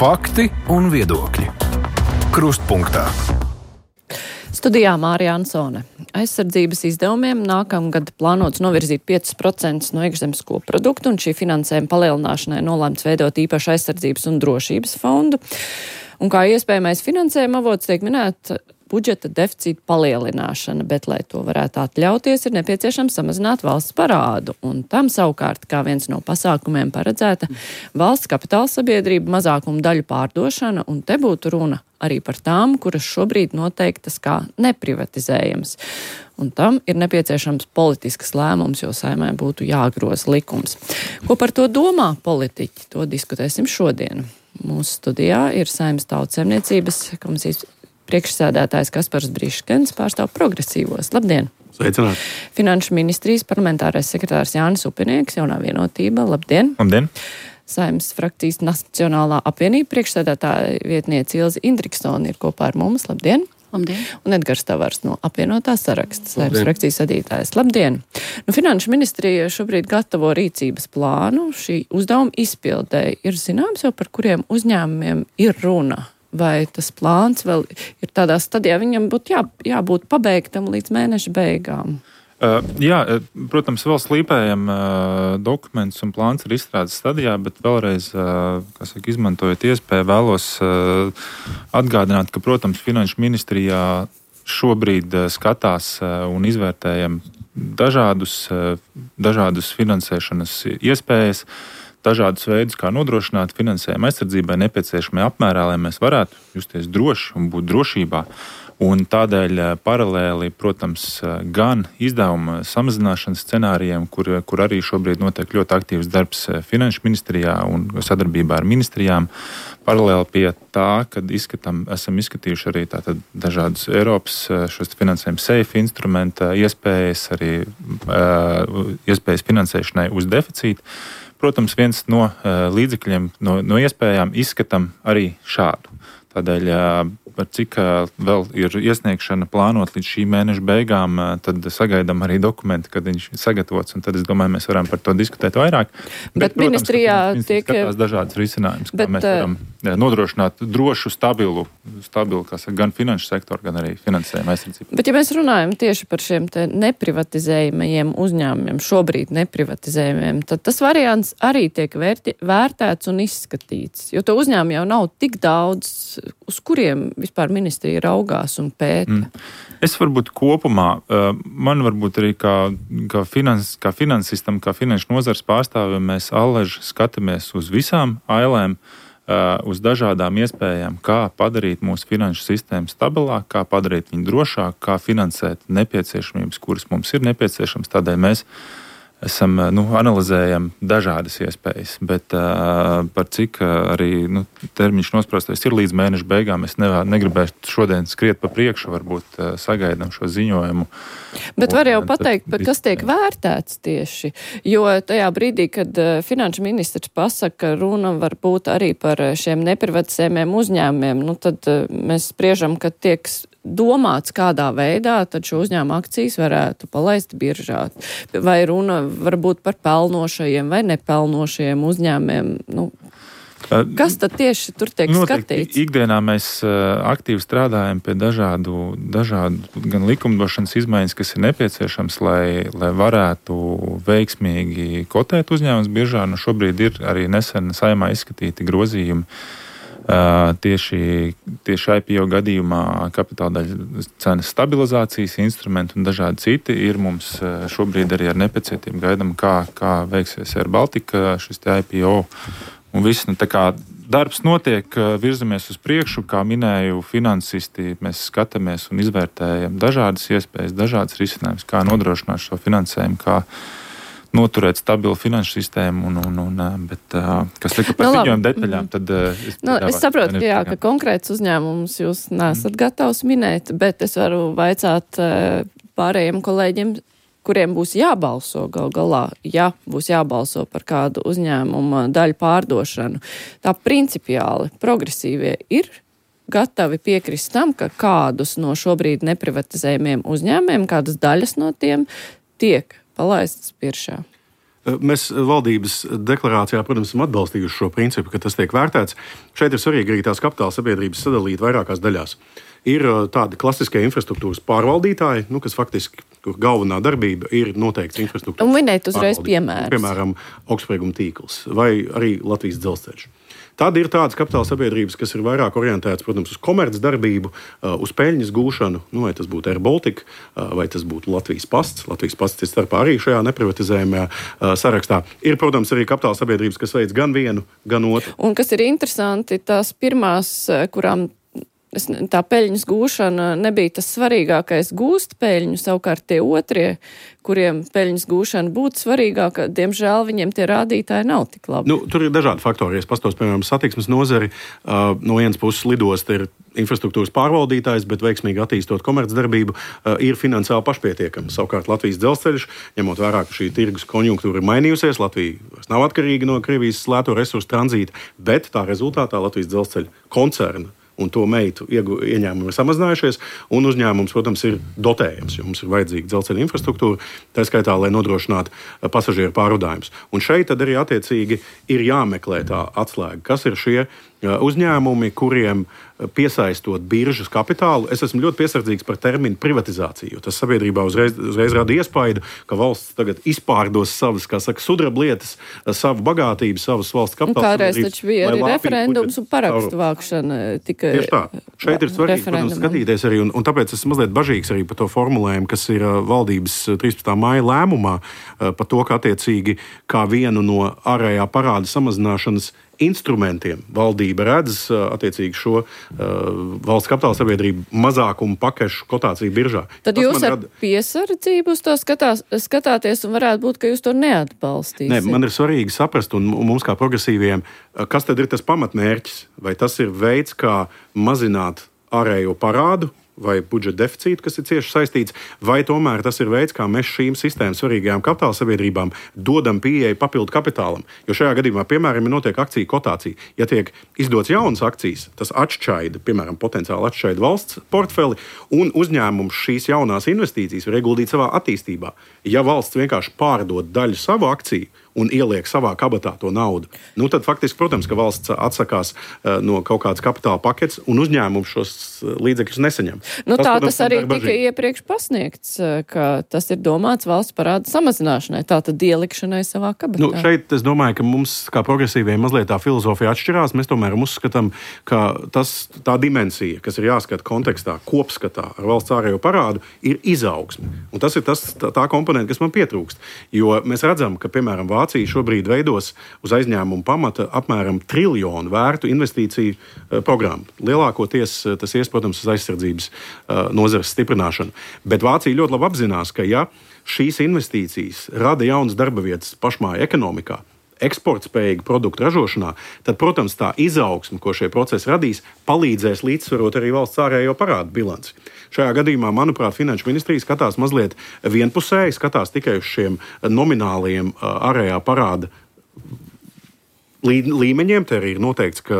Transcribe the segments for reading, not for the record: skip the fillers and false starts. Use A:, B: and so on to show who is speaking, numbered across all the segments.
A: Fakti un viedokļi. Krustpunktā.
B: Studijā Mārija Ansone. Aizsardzības izdevumiem nākamgad plānots novirzīt 5% no iekšzemes koprodukta, un šī finansējuma palielināšanai nolēmts veidot īpašu aizsardzības un drošības fondu. Un kā iespējamais finansējuma avots tiek minēta budžeta deficīta palielināšana, bet, lai to varētu atļauties, ir nepieciešams samazināt valsts parādu. Un tam savukārt, kā viens no pasākumiem paredzēta, valsts kapitāla sabiedrība mazākumu daļu pārdošana, un te būtu runa arī par tām, kuras šobrīd noteiktas kā neprivatizējams. Un tam ir nepieciešams politisks lēmums, jo Saeimai būtu jāgroza likums. Ko par to domā politiķi? To diskutēsim šodien. Mūsu studijā ir Saeimas Tautsaimniecības komisijas priekšsēdētājs Kaspars Briškens, pārstāv progresīvos. Labdien!
C: Sveicināt!
B: Finanšu ministrijas parlamentārais sekretārs Jānis Upinieks, Jaunā vienotība. Labdien!
C: Labdien!
B: Saeimas frakcijas Nacionālā apvienība priekšsēdētāja vietniece Ilze Indriksone ir kopā ar mums. Labdien!
D: Labdien!
B: Un Edgars Tavars no apvienotā saraksta, Saeimas frakcijas vadītājs. Labdien! Finanšu ministrija šobrīd gatavo rīcības plānu. Šī uzdevuma izpildēji ir zināms jau, par kuriem uzņēmumiem ir runa. Vai tas plāns vēl ir tādā stadijā, viņam būtu jābūt pabeigtam līdz mēneša beigām?
C: Jā, protams, vēl slīpējam dokuments un plāns ir izstrādes stadijā, bet vēlreiz, izmantojot iespēju, vēlos atgādināt, ka, protams, Finanšu ministrijā šobrīd skatās un izvērtējam dažādus finansēšanas iespējas, dažādus veidus, kā nodrošināt finansējumu aizsardzībai nepieciešamajā apmērā, lai mēs varētu justies droši un būt drošībā. Un tādēļ paralēli, protams, gan izdevuma samazināšanas scenārijiem, kur arī šobrīd notiek ļoti aktīvs darbs Finanšu ministrijā un sadarbībā ar ministrijām, paralēli pie tā, kad esam izskatījuši arī tātad dažādus Eiropas šos finansējumu safe instrumenta iespējas, arī iespējas finansēšanai uz deficītu. Protams, viens no līdzekļiem, no iespējām izskatām arī šādu. Tādēļ, par cik vēl ir iesniegšana plānot līdz šī mēneša beigām, tad sagaidām arī dokumenti, kad viņš ir sagatavots, un tad es domāju, mēs varam par to diskutēt vairāk.
B: Bet ministrijā tiek
C: skatās dažādas risinājumus, kā mēs varam nodrošināt drošu, stabilu gan finanšu sektoru, gan arī finansējumu aizsardzību.
B: Bet ja mēs runājam tieši par šiem te neprivatizējumiem uzņēmumiem, šobrīd neprivatizējumiem, tad tas variants arī tiek vērtēts un izskatīts, jo to uzņēmumu jau nav tik daudz, uz kuriem vispār ministrija raugās un pēta.
C: Es varbūt kopumā, man varbūt arī kā finansistam, kā finanšu nozars pārstāvjiem, mēs allaži skatāmies uz visām ailēm, uz dažādām iespējām, kā padarīt mūsu finanšu sistēmu stabilāk, kā padarīt viņu drošāk, kā finansēt nepieciešamības, kuras mums ir nepieciešams. Tādēļ mēs analizējam dažādas iespējas, bet par cik arī termiņš nosprostais ir līdz mēneša beigām, es negribēšu šodien skriet pa priekšu, varbūt sagaidām šo ziņojumu.
B: Bet var jau pateikt, kas tiek vērtēts tieši, jo tajā brīdī, kad finanšu ministrs pasaka, runa var būt arī par šiem neprivatizējumiem uzņēmumiem, tad mēs spriežam, ka tiek domāts, kādā veidā tad šo uzņēmumu akcijas varētu palaist biržā. Vai runa varbūt par pelnošajiem vai nepelnošajiem uzņēmumiem? Kas tad tieši tur tiek skatīts?
C: Ikdienā mēs aktīvi strādājam pie dažādu gan likumdošanas izmaiņas, kas ir nepieciešams, lai varētu veiksmīgi kotēt uzņēmumus biržā. Šobrīd ir arī nesen Saeimā izskatīti grozījumi tieši IPO gadījumā kapitāla daļas cenas stabilizācijas instrumenti un dažādi citi ir mums šobrīd arī ar nepacietību gaidām, kā veiksies Air Baltica šis IPO un viss. Tā kā darbs notiek, virzamies uz priekšu, kā minēju, finansisti, mēs skatāmies un izvērtējam dažādas iespējas, dažādas risinājumus, kā nodrošināt šo finansējumu, kā noturēt stabilu finanšu sistēmu, bet kas tika par ziņojumu detaļām, tad
B: es saprotu, ka konkrēts uzņēmums jūs nesat gatavs minēt, bet es varu vaicāt pārējiem kolēģiem, kuriem būs jābalso gal galā, ja būs jābalso par kādu uzņēmumu daļu pārdošanu. Tā principiāli progresīvie ir gatavi piekrist tam, ka kādus no šobrīd neprivatizējumiem uzņēmumiem, kādas daļas no tiem tiek palaistas biržā.
D: Mēs valdības deklarācijā, protams, esam atbalstījuši šo principu, ka tas tiek vērtēts. Šeit ir svarīgi arī tās kapitāla sabiedrības sadalīt vairākās daļās. Ir tādi klasiskie infrastruktūras pārvaldītāji, kas faktiski, kur galvenā darbība ir noteikts infrastruktūras.
B: Un minēt uzreiz piemērus.
D: Piemēram, augstsprieguma tīkls vai arī Latvijas dzelzceļš. Tad ir tādas kapitāla sabiedrības, kas ir vairāk orientētas, protams, uz komercdarbību, uz peļņas gūšanu, vai tas būtu Air Baltica, vai tas būtu Latvijas pasts. Latvijas pasts ir starpā arī šajā neprivatizējumajā sarakstā. Ir, protams, arī kapitāla sabiedrības, kas veic gan vienu, gan otru.
B: Un kas ir interesanti, tās pirmās, kurām tā peļņas gūšana nebija tas svarīgākais gūst peļņu, savukārt tie otrie, kuriem peļņas gūšana būtu svarīgāka, diemžēl viņiem tie rādītāji nav tik labi.
D: Tur ir dažādi faktori. Es pastos, piemēram, satiksmes nozari. No vienas puses lidosta ir infrastruktūras pārvaldītājs, bet veiksmīgi attīstot komercdarbību, ir finansiāli pašpietiekama. Savukārt Latvijas dzelzceļš, ņemot vērā, ka šī tirgus konjunktūra ir mainījusies, Latvija vairs nav atkarīga no Krievijas lēto resursu tranzīta, bet tā rezultātā Latvijas dzelzceļa koncerna un to meitu ieņēmumi ir samazinājušies, un uzņēmums, protams, ir dotējams, jo mums ir vajadzīga dzelzceļa infrastruktūra, tā skaitā, lai nodrošinātu pasažieru pārvadājumus. Un šeit tad arī attiecīgi ir jāmeklē tā atslēga, kas ir šie uzņēmumi, kuriem piesaistot biržas kapitālu. Es esmu ļoti piesardzīgs par terminu privatizāciju, jo tas sabiedrībā uzreiz rada iespaidu, ka valsts tagad izpārdos savas, kā saka, sudrablietas, savu bagātību, savas valsts kapitāla.
B: Kādreiz taču bija arī referendums un parakstu vākšana.
D: Tieši tā. Šeit ir svarīgi, protams, skatīties arī, un tāpēc esmu mazliet bažīgs arī par to formulējumu, kas ir valdības 13. Maija lēmumā par to, ka attiecīgi kā vienu no ārējā parāda samazināšanas instrumentiem valdība redz attiecīgi šo valsts kapitāla sabiedrību mazākumu pakešu kotāciju biržā.
B: Tad jūs ar piesardzību uz to skatāties un varētu būt, ka jūs to neatbalstīsiet.
D: Nē, man ir svarīgi saprast, un mums kā progresīviem, kas tad ir tas pamatmērķis? Vai tas ir veids, kā mazināt ārējo parādu vai budžeta deficītu, kas ir cieši saistīts, vai tomēr tas ir veids, kā mēs šīm sistēmas svarīgajām kapitāla sabiedrībām dodam pieeju papildu kapitālam. Jo šajā gadījumā, piemēram, notiek akciju kotācija. Ja tiek izdots jaunas akcijas, tas atšķaida, piemēram, potenciāli atšķaida valsts portfeli, un uzņēmums šīs jaunās investīcijas var ieguldīt savā attīstībā. Ja valsts vienkārši pārdod daļu savu akciju un ieliek savā kabatā to naudu, tad faktiski, protams, ka valsts atsakās no kaut kādas kapitāla paketes, un uzņēmums šos līdzekļus nesaņem.
B: Tas arī tika iepriekš pasniegts, ka tas ir domāts valsts parāda samazināšanai, tātad ielikšanai savā kabatā.
D: Šeit es domāju, ka mums, kā progresīviem, mazliet tā filozofija atšķirās. Mēs tomēr uzskatām, ka tā dimensija, kas ir jāskata kontekstā, kopskatā ar valsts ārējo parādu, ir izaugsme. Un tas ir tā komponenta, kas man pietrūkst. Jo mēs redzam, ka, piemēram, Vācija šobrīd veidos uz aizņēmumu pamata apmēram 1 triljonu vērtu investīciju programmu. Lielākoties tas ies, protams, uz aizsardzības nozares stiprināšanu. Bet Vācija ļoti labi apzinās, ka ja šīs investīcijas rada jaunas darba vietas pašmāju ekonomikā, eksportspējīgu produktu ražošanā, tad, protams, tā izaugsme, ko šie procesi radīs, palīdzēs līdzsvarot arī valsts ārējo parādu bilanci. Šajā gadījumā, manuprāt, Finanšu ministrija skatās mazliet vienpusēji, skatās tikai uz šiem nomināliem ārējā parāda līmeņiem. Te arī ir noteikts, ka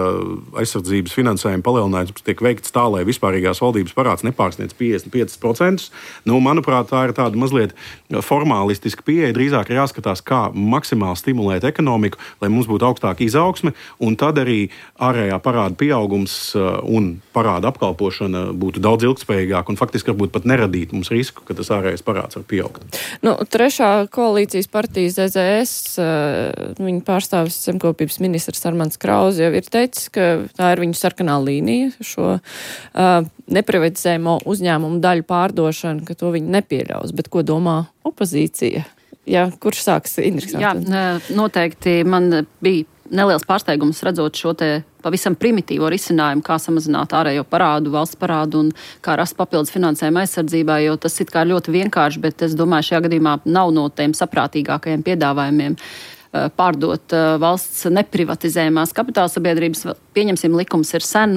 D: aizsardzības finansējuma palielinājums tiek veikts tā, lai vispārīgās valdības parāds nepārsniedz 55%. Manuprāt, tā ir tāda mazliet formālistiska pieeja. Drīzāk ir jāskatās, kā maksimāli stimulēt ekonomiku, lai mums būtu augstāka izaugsme, un tad arī ārējā parāda pieaugums un parāda apkalpošana būtu daudz ilgtspējīgāk un faktiski varbūt pat neradīt mums risku, ka tas ārējais parāds var pieaugt.
B: Trešā koalīcijas partija ZZS, viņa pārstāvis zemkopības ministrs Armands Krauze jau ir teicis, ka tā ir viņu sarkanā līnija, šo neprivatizējumu uzņēmumu daļu pārdošanu, ka to viņi nepieļaus. Bet ko domā opozīcija? Jā, kurš sāks?
E: Jā, noteikti man bija neliels pārsteigums redzot šo te pavisam primitīvo risinājumu, kā samazināt ārējo parādu, valsts parādu un kā rast papildus finansējumu aizsardzībā, jo tas it kā ļoti vienkārši, bet es domāju, šajā gadījumā nav no tiem saprātīgākajiem piedāvājumiem pārdot valsts neprivatizējumās kapitāla sabiedrības. Pieņemsim, likums ir sen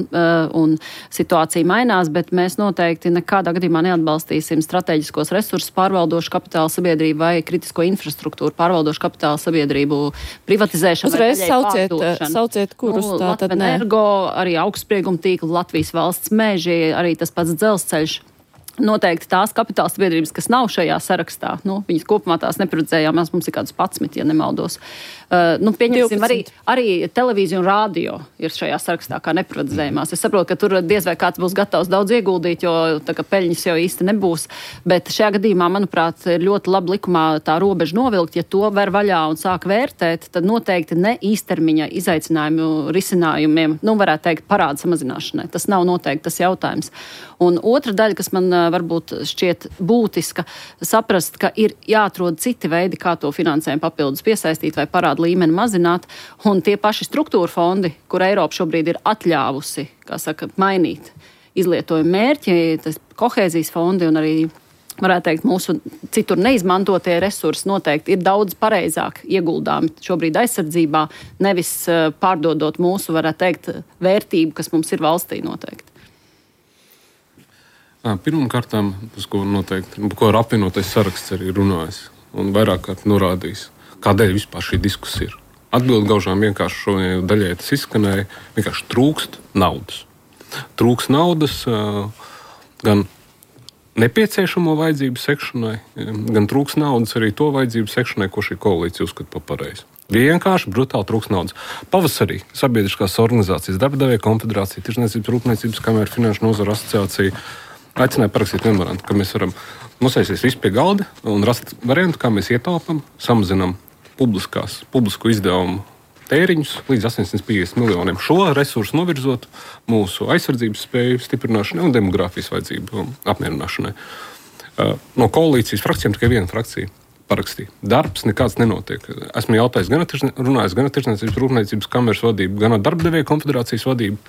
E: un situācija mainās, bet mēs noteikti nekādā gadījumā neatbalstīsim strateģiskos resursus pārvaldošu kapitāla sabiedrību vai kritisko infrastruktūru pārvaldošu kapitāla sabiedrību privatizēšanu.
B: Uzreiz sauciet kurus tā tad ne.
E: Energo, arī augstsprieguma tīkla, Latvijas valsts meži, arī tas pats dzelzceļš. Noteikti tās kapitāla sabiedrības, kas nav šajā sarakstā, viņas kopumā tās neparedzējām, mums ir kāds 11, ja nemaldos. Pieņemsim, arī televīzija un rādio ir šajā sarakstā kā neparedzējumās. Es saprotu, ka tur diez vai kāds būs gatavs daudz ieguldīt, jo tā kā peļņas jau īsti nebūs, bet šajā gadījumā, manuprāt, ir ļoti labi likumā tā robeža novilkt, ja to ver vaļā un sāk vērtēt, tad noteikti ne īstermiņa izaicinājumu risinājumiem, varētu teikt, parāda samazināšanai. Tas nav noteikti tas jautājums. Un otra daļa, kas man varbūt šķiet būtiska, saprast, ka ir jāatrod citi veidi, kā to finansējumu papildus piesaistīt vai parādu līmeni mazināt, un tie paši struktūra fondi, kur Eiropa šobrīd ir atļāvusi, mainīt izlietojumu mērķi, tas kohēzijas fondi un arī, varētu teikt, mūsu citur neizmantotie resursi noteikti ir daudz pareizāk ieguldāmi šobrīd aizsardzībā, nevis pārdodot mūsu, varētu teikt, vērtību, kas mums ir valstī noteikti.
F: Pirmkārtām, ko ar apvienotais saraksts arī runājis un vairāk kārt norādījis, kādēļ vispār šī diskusija ir. Atbildi gaužām vienkārši šodien daļai tas izskanēja, vienkārši trūkst naudas. Trūkst naudas gan nepieciešamo vajadzību sekšanai, gan trūkst naudas arī to vajadzību sekšanai, ko šī koalīcija uzskata par pareizi. Vienkārši brutāli trūkst naudas. Pavasarī sabiedriskās organizācijas, Darbadevēju konfederācija, Tirzniecības rūpniecības kamera, Finanšu nozara asociācija aicināja parakstīt memorandu, ka mēs varam nosēsties visi pie galda un rast variantu, kā mēs ietaupam, samazinam publisko izdevumu tēriņus līdz 850 miljoniem. Šo resursu novirzot mūsu aizsardzības spēju stiprināšanai un demogrāfijas vajadzību apmierināšanai. No koalīcijas frakcijām tikai viena frakcija parakstīja. Darbs nekāds nenotiek. Esmu jautājis runājis gan ar Tirzniecības rūpniecības kameras vadību, gan ar Darbadevēju konfederācijas vadību.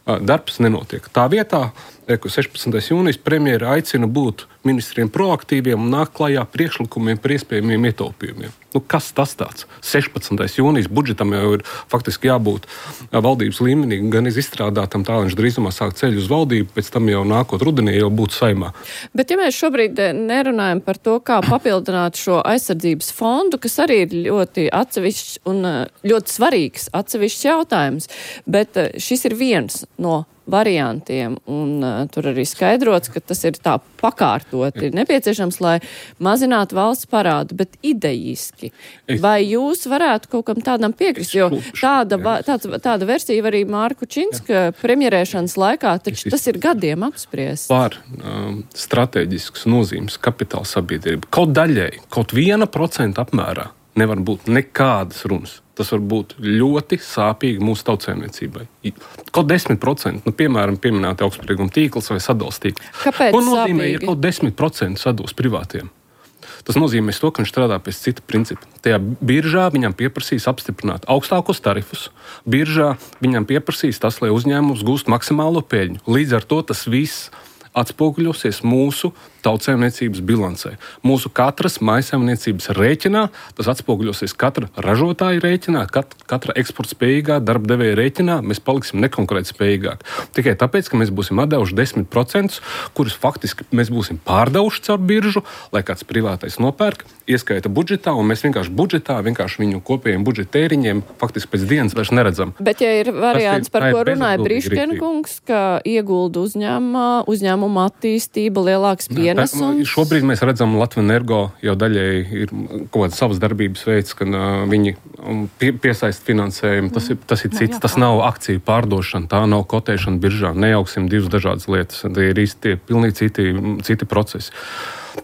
F: Darbs nenotiek. Tā vietā, 16. jūnijas premjera aicina būt ministriem proaktīviem un nāk klajā priekšlikumiem par iespējamiem ietaupījumiem. Kas tas tāds? 16. jūnijas budžetam jau ir faktiski jābūt valdības līmenī, gan izstrādātam tā, viņš drīzumā sāk ceļu uz valdību, pēc tam jau nākot rudenī jau būtu saimā.
B: Bet ja mēs šobrīd nerunājam par to, kā papildināt šo aizsardzības fondu, kas arī ir ļoti atsevišķs un ļoti svarīgs atsevišķs jautājums, bet šis ir viens no variantiem, un tur arī skaidrots, ka tas ir tā pakārtoti nepieciešams, lai mazinātu valsts parādu, bet idejiski. Vai jūs varētu kaut kam tādam piekrist? Jo tāda versija arī Mārku Činska premjerēšanas laikā, taču tas ir gadiem apspriests.
F: Par strateģiskas nozīmes kapitāla sabiedrība. Kaut daļai, kaut 1% apmērā nevar būt nekādas runas. Tas var būt ļoti sāpīgi mūsu tautsēmniecībai. Kaut 10%, piemēram, pieminēti augstsprieguma tīkls vai sadals tīkls.
B: Kāpēc
F: ko nozīmē,
B: sāpīgi?
F: Ja kaut 10% sadals privātiem? Tas nozīmē to, ka viņš strādā pēc cita principa. Tajā biržā viņam pieprasīs apstiprināt augstākos tarifus. Biržā viņam pieprasīs tas, lai uzņēmums gūst maksimālo peļņu. Līdz ar to tas viss atspoguļosies mūsu tautsēmniecības bilancē. Mūsu katras mājsaimniecības rēķinā, tas atspoguļosies katra ražotāja rēķinā, katra eksportspējīgā darbdevēja rēķinā, mēs paliksim nekonkurētspējīgāk. Tikai tāpēc, ka mēs būsim atdevuši 10%, kurus faktiski mēs būsim pārdevuši caur biržu, lai kāds privātais nopērk, ieskaita budžetā, un mēs vienkārši viņu kopējiem budžeta tēriņiem faktiski pēc dienas vairs neredzam.
B: Bet ja ir variants, par ko runāja Briškena kungs, ka iegulda uzņēmuma attīstība, lielāks pienesums.
F: Šobrīd mēs redzam, Latvenergo jau daļai ir kaut kāds savas darbības veids, ka viņi piesaist finansējumu. Tas ir cits, tas nav akciju pārdošana, tā nav kotēšana biržā. Nejauksim divas dažādas lietas. Tie ir īsti pilnīgi citi procesi.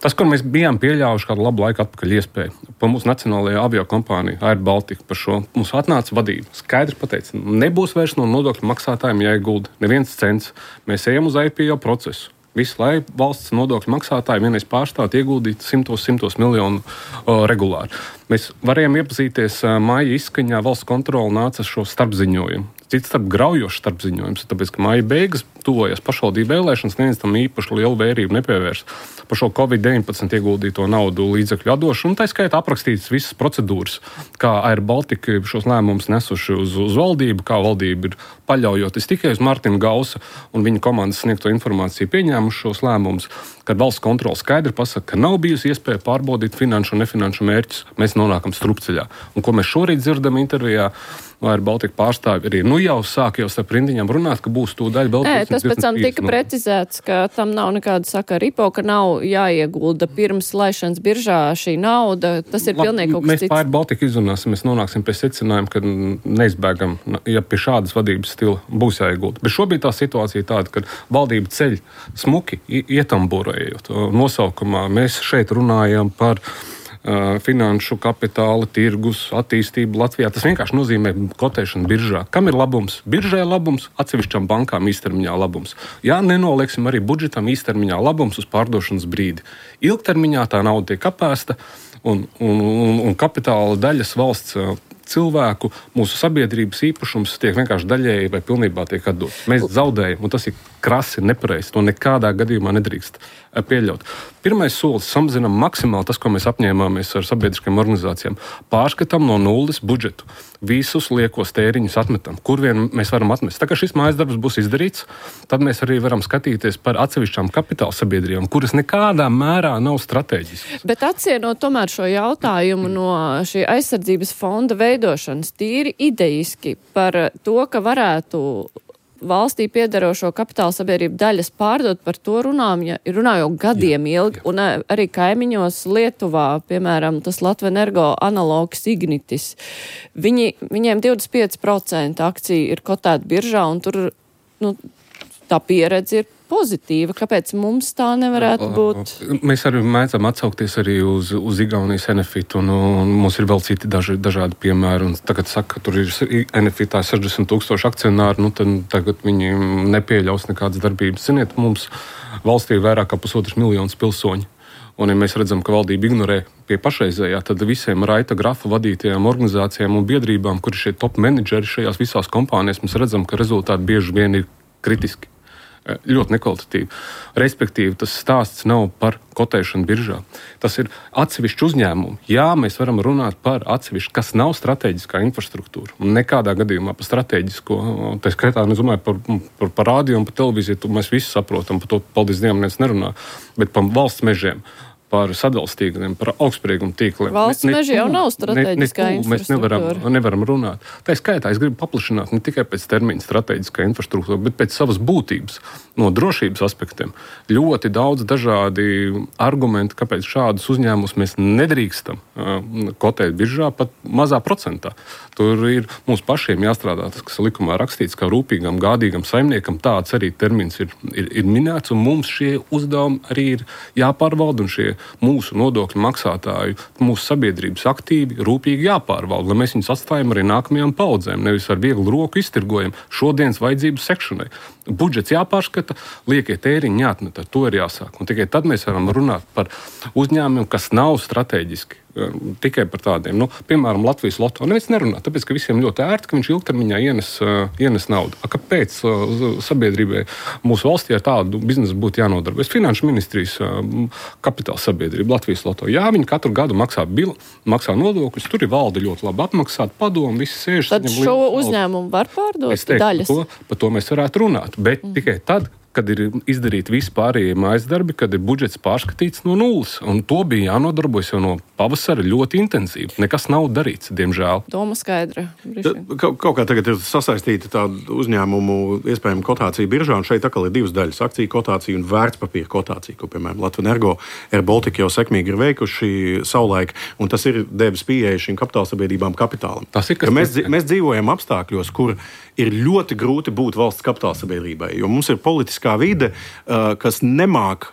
F: Tas, kur mēs bijām pieļāvuši kādu labu laiku atpakaļ iespēju, pa mūsu nacionālajā aviokompāniju Air Baltica par šo mums atnāca vadība. Skaidri pateica, nebūs vairs no nodokļu maksātājiem jāiegulda neviens cents. Mēs ejam uz IPO procesu. Visu, lai valsts nodokļu maksātāji vienreiz pārstāt ieguldīt simtos miljonu regulāri. Mēs varējām iepazīties māja izskaņā, valsts kontrole nāca šo starpziņojumu. Cits starp graujošs starpziņojums, tāpēc, ka māja beigas tuvojas pašvaldību vēlēšanas, neviens tam īpaši lielu vērību nepievērs. Par šo Covid-19 ieguldīto naudu līdzekļu atdošanu, un tā skaitā aprakstītas visas procedūras, kā Air Baltica šos lēmumus nesuši uz valdību, kā valdība ir paļaujoties tikai uz Martina Gausa un viņa komandas sniegto informāciju, pieņēmuši šos lēmumus, kad valsts kontrole skaidri pasaka, ka nav bijusi iespēja pārbaudīt finanšu un nefinanšu mērķus, mēs nonākam strupceļā. Un ko mēs šorīt dzirdam intervijā, Air Baltica pārstāvi arī jau sāk starp rindiņām runāt, ka būs tūdaļ vēl.
B: Tas pēc tam tika precizēts, ka tam nav nekāda sakara IPO, ka nav jāiegulda pirms laišanas biržā šī nauda. Tas ir pilnīgi kaut kas cits.
F: Mēs Air Baltica izrunāsim, mēs nonāksim pie secinājuma, ka neizbēgam, ja pie šādas vadības stila būs jāiegulda. Bet šobrīd tā situācija tāda, ka valdība ceļ smuki ietamburējot. Nosaukumā mēs šeit runājam par finanšu, kapitāla, tirgus, attīstību Latvijā. Tas vienkārši nozīmē kotēšanu biržā. Kam ir labums? Biržai labums, atsevišķām bankām īstermiņā labums. Jā, nenolieksim arī budžetam īstermiņā labums uz pārdošanas brīdi. Ilgtermiņā tā nauda tiek apēsta un kapitāla daļas valsts cilvēku, mūsu sabiedrības īpašums tiek vienkārši daļēji vai pilnībā tiek atdots. Mēs zaudējam, un tas ir krasi, nepareizi. To nekādā gadījumā nedrīkst pieļaut. Pirmais solis samazinām maksimāli tas, ko mēs apņēmāmies ar sabiedriskajām organizācijām. Pārskatām no nulles budžetu. Visus liekos tēriņus atmetam, kur vien mēs varam atmest. Tā kā šis mājas darbs būs izdarīts, tad mēs arī varam skatīties par atsevišķām kapitāla sabiedrībām, kuras nekādā mērā nav strateģiskas.
B: Bet atsienot tomēr šo jautājumu no šī aizsardzības fonda veidošanas tīri idejiski par to, ka varētu valstī piederošo kapitāla sabiedrību daļas pārdot, par to runājot gadiem ilgi, un arī kaimiņos Lietuvā, piemēram, tas Latvenergo analogs Ignitis. Viņiem 25% akciju ir kotēta biržā, un tur tā pieredze ir pozitīva. Kāpēc mums tā nevarētu būt?
F: Mēs arī mēdzam atsaukties arī uz Igaunijas Enefit, un mums ir vēl citi dažādi piemēri. Un tagad saka, ka tur ir Enefitā 60,000 akcionāri, tad tagad viņi nepieļaus nekādas darbības. Ziniet, mums valstī ir vairāk kā 1,5 miljonu pilsoņu. Un, ja mēs redzam, ka valdība ignorē pie pašreizējā, tad visiem Raita Grafa vadītajām organizācijām un biedrībām, kur ir šie top menedžeri šajās visās kompānijās, mēs redzam, ka rezultāti bieži vien ir kritiski. Ļoti nekvalitatīvi. Respektīvi, tas stāsts nav par kotēšanu biržā. Tas ir atsevišķi uzņēmumi. Jā, mēs varam runāt par atsevišķi, kas nav strateģiskā infrastruktūra. Un nekādā gadījumā par strateģisko, tā skaitā, es domāju, par rādio un par televīziju, mēs visi saprotam, par to, paldies Dievam, neviens nerunā, bet par valsts mežiem, par sadales tīkliem, par augstsprieguma tīkliem.
B: Valsts meži jau nav strateģiskā infrastruktūra.
F: Mēs nevaram runāt. Tā skaitā es gribu paplašināt ne tikai pēc termina strateģiskā infrastruktūra, bet pēc savas būtības, no drošības aspektiem. Ļoti daudz dažādi argumenti, kāpēc šādus uzņēmumus mēs nedrīkstam kotēt biržā pat mazā procentā. Tur ir mums pašiem jāstrādā tas, kas likumā rakstīts, kā rūpīgam, gādīgam saimniekam. Tāds arī termins ir minēts, un mums šie uzdevumi arī ir jāpārvalda, un šie mūsu nodokļu maksātāju, mūsu sabiedrības aktīvi, rūpīgi jāpārvalda, lai mēs viņus atstājam arī nākamajām paudzēm, nevis ar vieglu roku iztirgojam šodienas vajadzību sekšanai. Budžets jāpārskata, liekie tēriņi jāatmet, ar to ir jāsāk. Un tikai tad mēs varam runāt par uzņēmumiem, kas nav strateģiski. Tikai par tādiem. Piemēram, Latvijas Loto. Neviens nerunā, tāpēc, ka visiem ļoti ērti, ka viņš ilgtermiņā ienes naudu. Kāpēc sabiedrībai mūsu valstī ar tādu biznesu būtu jānodarbojas? Finanšu ministrijas kapitāla sabiedrība, Latvijas Loto. Jā, viņi katru gadu maksā nodokļus, tur ir valde ļoti labi apmaksāt, padomu, visi sēž.
B: Tad šo uzņēmumu var pārdot daļas?
F: Par to mēs varētu runāt, bet tikai tad, kad ir izdarīti visi pārējie mājas darbi, kad ir budžets pārskatīts no nulles. Un to bija jānodarbojas jau no pavasara ļoti intensīvi. Nekas nav darīts, diemžēl.
B: Doma skaidra.
D: Kaut kā tagad ir sasaistīta tāda uzņēmumu iespējama kotācija biržā, un šeit atkal ir divas daļas - akciju kotācija un vērtspapīra kotācija, ko, piemēram, Latvenergo, Air Baltica jau sekmīgi ir veikuši savulaik, un tas ir devis pieeja šīm kapitālsabiedrībām kapitālam. Mēs dzīvojam apstākļos, kur ir ļoti grūti būt valsts kapitālsabiedrībai, jo mums ir politiskā vide, kas nemāk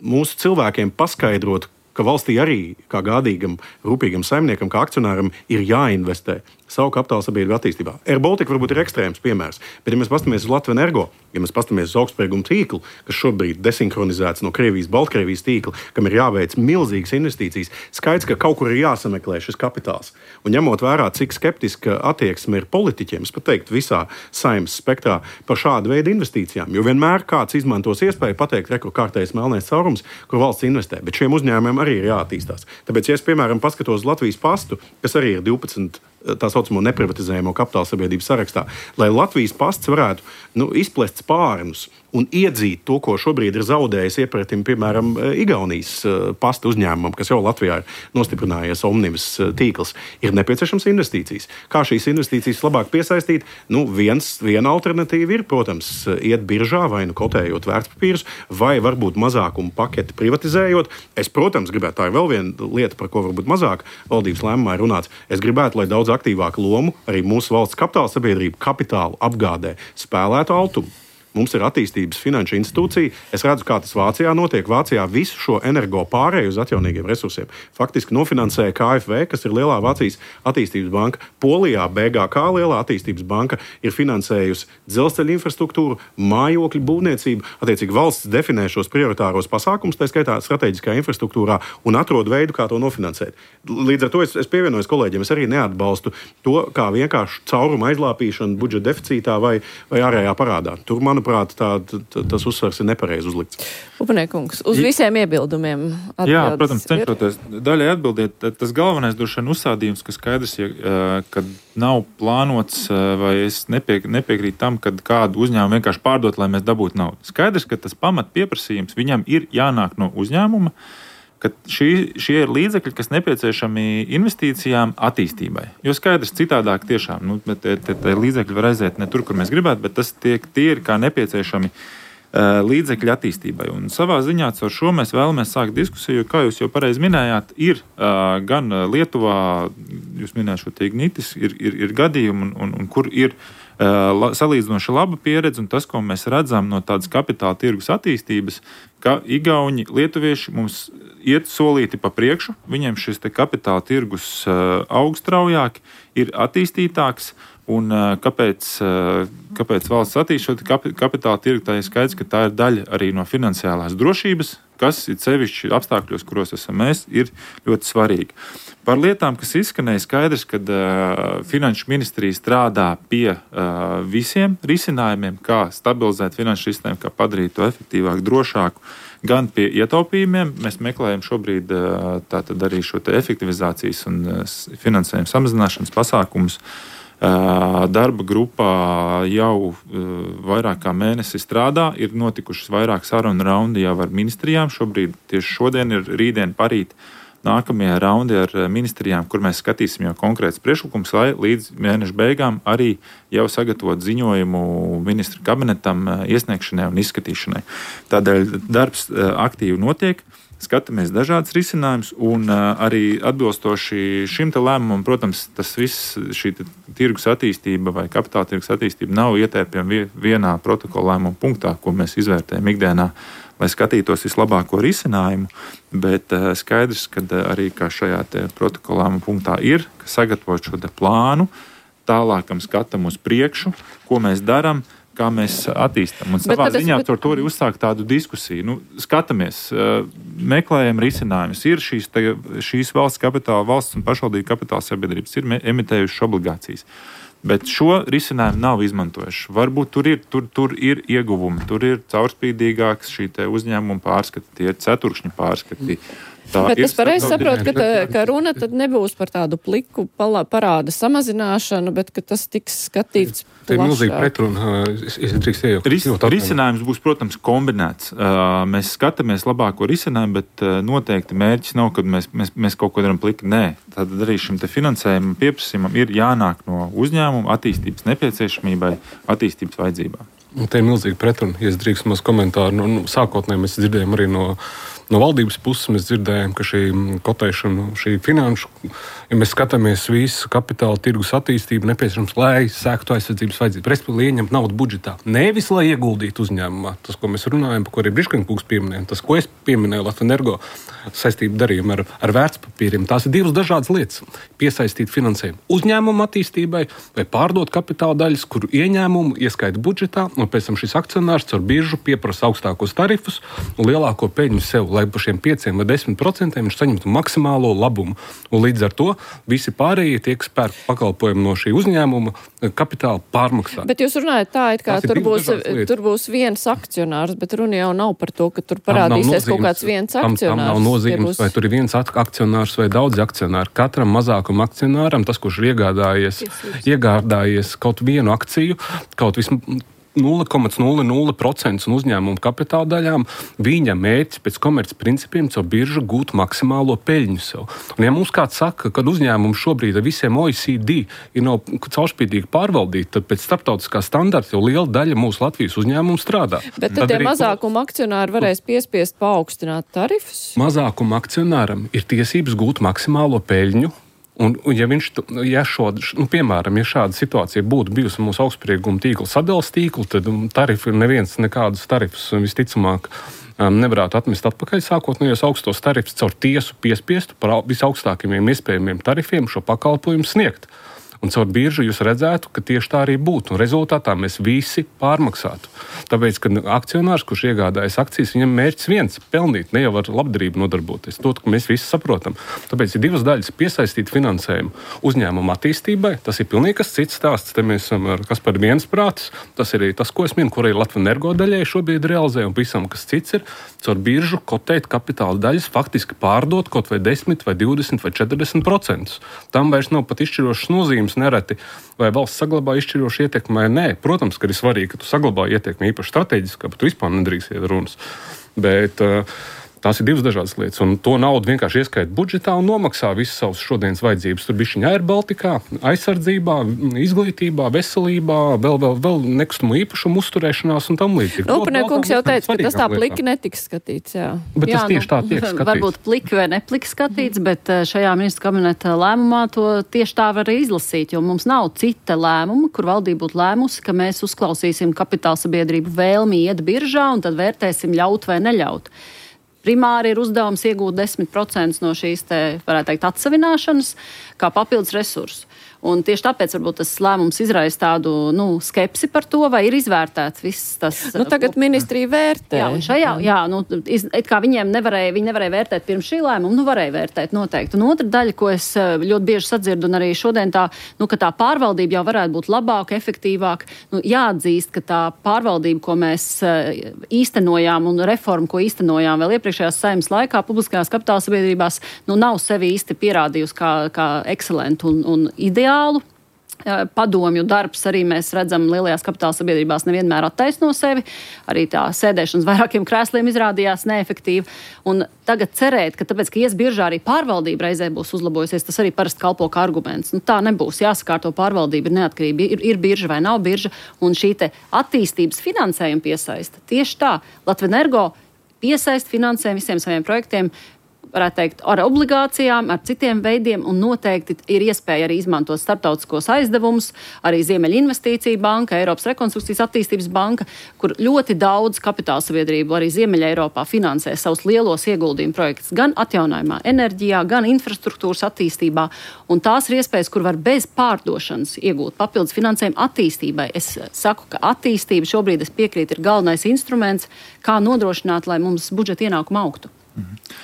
D: mūsu cilvēkiem paskaidrot, ka valstī arī kā gādīgam, rūpīgam saimniekam, kā akcionāram ir jāinvestē savu kapitāla sabiedrību attīstībā. Air Baltica varbūt ir ekstrēms piemērs, bet ja mēs pastamies uz Latvenergo, ja mēs pastamies uz augstsprieguma tīklu, kas šobrīd desinhronizēts no Krievijas, Baltkrievijas tīkla, kam ir jāveic milzīgas investīcijas, skaidrs, ka kaut kur ir jāsameklē šis kapitāls. Un ņemot vērā, cik skeptiska attieksme ir politiķiem, es pat teiktu visā saimnes spektrā par šādu veidu investīcijām, jo vienmēr kāds izmantos iespēju pateikt, rekur kārtējs melnais caurums, kur valsts investē, bet šiem uzņēmumiem arī ir jāattīstās. Tāpēc, ja es, piemēram, paskatos Latvijas pastu, kas arī ir 12 tā saucamo neprivatizējamo kapitāla sabiedrību sarakstā, lai Latvijas pasts varētu izplest spārnus un iedzīt to, ko šobrīd ir zaudējis iepratim, piemēram, Igaunijas pasta uzņēmumam, kas jau Latvijā ir nostiprinājies Omnivas tīkls, ir nepieciešams investīcijas. Kā šīs investīcijas labāk piesaistīt? Viena alternatīva ir, protams, iet biržā vai kotējot vērtspapīrus, vai varbūt mazākumu paketi privatizējot. Es, protams, gribētu, tā ir vēl viena lieta, par ko varbūt mazāk valdības lēmumā ir runāts. Es gribētu, lai daudz aktīvāku lomu arī mūsu valsts kapitāla sabiedrība kapitālu apgādē spēlētu Altumu. Mums ir attīstības finanšu institūcija. Es redzu, kā tas Vācijā notiek. Vācijā visu šo energo pārēju uz atjaunīgiem resursiem faktiski nofinansēja KfW, kas ir lielā Vācijas attīstības banka. Polijā BGK, lielā attīstības banka, ir finansējusi dzelzceļa infrastruktūru, mājokļu būvniecību. Attiecīgi valsts definē šos prioritāros pasākumus, tā skaitā strateģiskā infrastruktūrā, un atrod veidu, kā to nofinansēt. Līdz ar to es pievienojos kolēģiem. Es arī neatbalstu to, kā vienkārši cauruma aizlāpīšana budžeta deficītā vai ārējā parādā. Tur, manuprāt, tas uzsvars ir nepareizi uzlikts.
B: Upaniekungs, uz visiem iebildumiem atbildes.
C: Jā, protams, cenšoties daļai atbildēt, tas galvenais droši vien uzstādījums, ka skaidrs, kad nav plānots, vai es nepiekrītu tam, kad kādu uzņēmumu vienkārši pārdot, lai mēs dabūtu naudu. Skaidrs, ka tas pamat pieprasījums viņam ir jānāk no uzņēmuma, ka šie ir līdzekļi, kas nepieciešami investīcijām attīstībai. Jo skaidrs, citādāk tiešām, tie līdzekļi var aiziet ne tur, kur mēs gribētu, bet tie ir kā nepieciešami līdzekļi attīstībai. Un savā ziņā caur šo mēs vēlamies sākt diskusiju, jo, kā jūs jau pareizi minējāt, ir gan Lietuvā, jūs minējāt šo Ignitis, ir gadījumi, un kur ir salīdzinoši laba pieredze, un tas, ko mēs redzam no tādas kapitāla tirgus attīstības, ka igauņi, lietuvieši mums iet solīti pa priekšu, viņiem šis te kapitāla tirgus aug straujāk, ir attīstītāks, un kāpēc valsts attīstot kapitāla tirgu, tā ir skaidrs, ka tā ir daļa arī no finansiālās drošības, kas ir sevišķi apstākļos, kuros esam mēs, ir ļoti svarīgi. Par lietām, kas izskanēja, skaidrs, ka Finanšu ministrija strādā pie visiem risinājumiem, kā stabilizēt finanšu sistēmu, kā padarīt to efektīvāku, drošāku, gan pie ietaupījumiem. Mēs meklējam šobrīd tātad arī šo te efektivizācijas un finansējuma samazināšanas pasākumus. Darba grupā jau vairāk kā mēnesi strādā, ir notikušas vairāk sarunu raundi jau ar ministrijām. Šobrīd tieši šodien ir rītdien parīt nākamie raundi ar ministrijām, kur mēs skatīsim jau konkrēts priekšlikums, lai līdz mēneša beigām arī jau sagatavot ziņojumu ministru kabinetam iesniegšanai un izskatīšanai. Tādēļ darbs aktīvi notiek. Skatāmies dažādas risinājumus, un arī atbilstoši šim te lēmumam, protams, tas viss, šī tirgus attīstība vai kapitāla tirgus attīstība nav ietērpjama vienā protokola lēmuma punktā, ko mēs izvērtējam ikdienā, lai skatītos vislabāko risinājumu, bet skaidrs, ka arī kā šajā te protokola lēmuma punktā ir, ka sagatavot šo te plānu, tālākam skatam uz priekšu, ko mēs darām, kā mēs attīstam. Un savā ziņā par to arī uzsākt tādu diskusiju. Skatāmies, meklējam risinājumus. Ir šīs valsts kapitāla, valsts un pašvaldību kapitāla sabiedrības ir emitējušas obligācijas. Bet šo risinājumu nav izmantojuši. Varbūt tur ir ieguvumi, tur ir caurspīdīgāks šī te uzņēmuma pārskati, tie ir ceturkšņi pārskati.
B: Bet es pareizi saprotu, ka runa tad nebūs par tādu pliku parāda samazināšanu, bet ka tas tiks skatīts plašāk.
F: Tā ir milzīga pretruna. Es drīkst iejaukt.
C: Risinājums būs, protams, kombinēts. Mēs skatāmies labāko risinājumu, bet noteikti mērķis nav, kad mēs kaut ko darām pliki. Nē, tad arī šim te finansējumam pieprasījumam ir jānāk no uzņēmuma attīstības nepieciešamībai, attīstības vajadzībām.
F: Tā ir milzīga pretruna. Ja es drīkst maz komentāru. Sākotnēji mēs dzirdējām arī no valdības puses, mēs dzirdējām, ka šī kotēšana, šī finanšu, ja mēs skatāmies visu kapitāla tirgus attīstību, nepieciešams, lai sēktu aizsardzības vajadzību. Respektīvi, ieņemt naudu budžetā. Nevis, lai ieguldītu uzņēmumā. Tas, ko mēs runājam, par ko arī Briškenkungs pieminēja, tas, ko es pieminēju Latvenergo saistību darījumu ar vērtspapīriem, tās ir divas dažādas lietas. Piesaistīt finansējumu uzņēmumu attīstībai vai pārdot kapitāla daļas, kuru ieņēmumu ieskaita budžetā, un pēc tam šis akcionārs caur biržu pieprasa augstākos tarifus un lielāko peļņu sev, lai par šiem 5 vai 10% viņš saņemtu maksimālo labumu. Un līdz ar to visi pārējie tie, kas pērk pakalpojumu no šī uzņēmuma, kapitāla pārmaksā.
B: Bet jūs runājat tā, it kā tur būs viens akcionārs, bet runa jau nav par to, ka tur parādīsies kaut kāds viens akcionārs.
F: Tam nav nozīmes, vai tur ir viens akcionārs vai daudzi akcionāri. Katram mazākuma akcionāram, tas, kurš ir iegādājies kaut vienu akciju, kaut vismaz 0,00% un uzņēmumu kapitāla daļām, viņa mērķis pēc komerces principiem caur biržu gūt maksimālo peļņu sev. Un ja mums kāds saka, ka uzņēmums šobrīd ar visiem OECD ir nav caurspīdīgi pārvaldīti, tad pēc starptautiskā standarta jau liela daļa mūsu Latvijas uzņēmumu strādā.
B: Bet tad tie mazākuma akcionāri varēs piespiest paaugstināt tarifus?
F: Mazākuma akcionāram ir tiesības gūt maksimālo peļņu. Un ja šāda situācija būtu bijusi mūsu augstsprieguma tīkla sadales tīkla, tad tarifi neviens nekādus tarifus visticamāk nevarētu atmest atpakaļ sākotnējos augstos tarifus caur tiesu piespiestu par visaugstākajiem iespējamiem tarifiem šo pakalpojumu sniegt. Un caur biržu jūs redzētu, ka tieši tā arī būtu. Un rezultātā mēs visi pārmaksātu. Tāpēc, ka akcionārs, kurš iegādājas akcijas, viņam mērķis viens - pelnīt, ne jau ar labdarību nodarboties. To, ka mēs visi saprotam. Tāpēc ir divas daļas - piesaistīt finansējumu uzņēmumu attīstībai. Tas ir pilnīgi kas cits stāsts. Te mēs esam ar kas par viensprātis. Tas ir arī tas, ko es minu, kur arī Latvenergo daļai šobrīd realizē, un visam, kas cits ir, caur biržu kotēt kapitāla daļas, faktiski pārdot kaut vai 10 vai 20 vai 40%. Tam vairs nav pat izšķirošas nozīmes nereti, vai valsts saglabā izšķirošu ietekmi vai nē. Protams, ka ir svarīgi, ka tu saglabā ietekmi īpaši strateģiskā, bet tu vispār nedrīkst iet runas. Bet tās ir divas dažādas lietas, un to naudu vienkārši ieskaita budžetā un nomaksā visas savas šodienas vajadzības. Tur bišķiņa Air Baltikā, aizsardzībā, izglītībā, veselībā, vēl nekustamo īpašumu uzturēšanās un tam līdzīgi.
B: Kungs jau teica, ka tas tā pliki netiks skatīts, jā.
F: Bet tas tieši tā tiek skatīts.
E: Varbūt pliki vai nepliki skatīts, bet šajā ministra kabineta lēmumā to tieši tā var izlasīt, jo mums nav cita lēmuma, kur valdība būtu lēmusi, ka mēs uzklausīsim kapitāla sabiedrību vēlmi iet biržā un tad vērtēsim ļaut vai neļaut. Primāri ir uzdevums iegūt 10% no šīs, varētu teikt, atsavināšanas kā papildus resursu. Un tieši tāpēc varbūt tas lēmums izraisa tādu skepsi par to, vai ir izvērtēts viss tas.
B: Tagad ministrija vērtē.
E: It kā viņi nevarēja vērtēt pirms šī lēmuma, varēja vērtēt noteikti. Un otra daļa, ko es ļoti bieži sadzirdu, un arī šodien ka tā pārvaldība jau varētu būt labāka, efektīvāka. Jāatzīst, ka tā pārvaldība, ko mēs īstenojām un reformu, ko īstenojām vēl iepriekšējās Saeimas laikā, publiskajās kapitāla sabiedrībās, nav sevi īsti pierādījusi kā ekscelentu un ideālu. Padomju darbs arī mēs redzam lielajās kapitāla sabiedrībās nevienmēr attaisno sevi. Arī tā sēdēšanas vairākiem krēsliem izrādījās neefektīva. Un tagad cerēt, ka tāpēc, ka ies biržā arī pārvaldība reizē būs uzlabojusies, tas arī parasti kalpo kā arguments. Tā nebūs. Jāsakārto pārvaldība ir neatkarība. Ir birža vai nav birža. Un šī te attīstības finansējuma piesaista. Tieši tā. Latvenergo piesaista finansējumu visiem saviem projektiem, varētu teikt, ar obligācijām, ar citiem veidiem, un noteikti ir iespēja arī izmantot starptautiskos aizdevumus, arī Ziemeļa investīcija banka, Eiropas rekonstrukcijas attīstības banka, kur ļoti daudz kapitāla sabiedrību arī Ziemeļa Eiropā finansē savus lielos ieguldījumu projektus gan atjaunojumā enerģijā, gan infrastruktūras attīstībā, un tās ir iespējas, kur var bez pārdošanas iegūt papildus finansējumu attīstībai. Es saku, ka attīstība šobrīd, es piekrītu, ir galvenais instruments, kā nodrošināt, lai mums budžeta ienākuma augtu.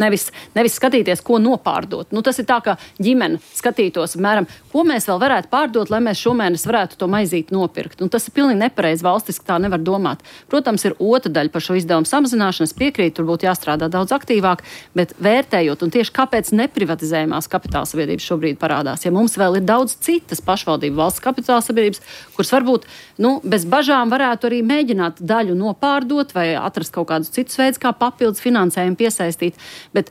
E: Nevis skatīties, ko nopārdot. Tas ir tā, ka ģimene skatītos, apmēram, ko mēs vēl varētu pārdot, lai mēs šomēnes varētu to maizīti nopirkt. Un tas ir pilnīgi nepareizi, valstiski tā nevar domāt. Protams, ir otra daļa par šo izdevumu samazināšanu. Es piekrītu, tur būtu jāstrādā daudz aktīvāk, bet vērtējot, un tieši kāpēc neprivatizējumās kapitāla sabiedrības šobrīd parādās, ja mums vēl ir daudz citas pašvaldību valsts kapitāla sabiedrības, kuras varbūt bez bažām varētu arī mēģināt daļu nopārdot vai atrast kaut kādus citus veidus, kā papildus finansējumu piesaistīt. Bet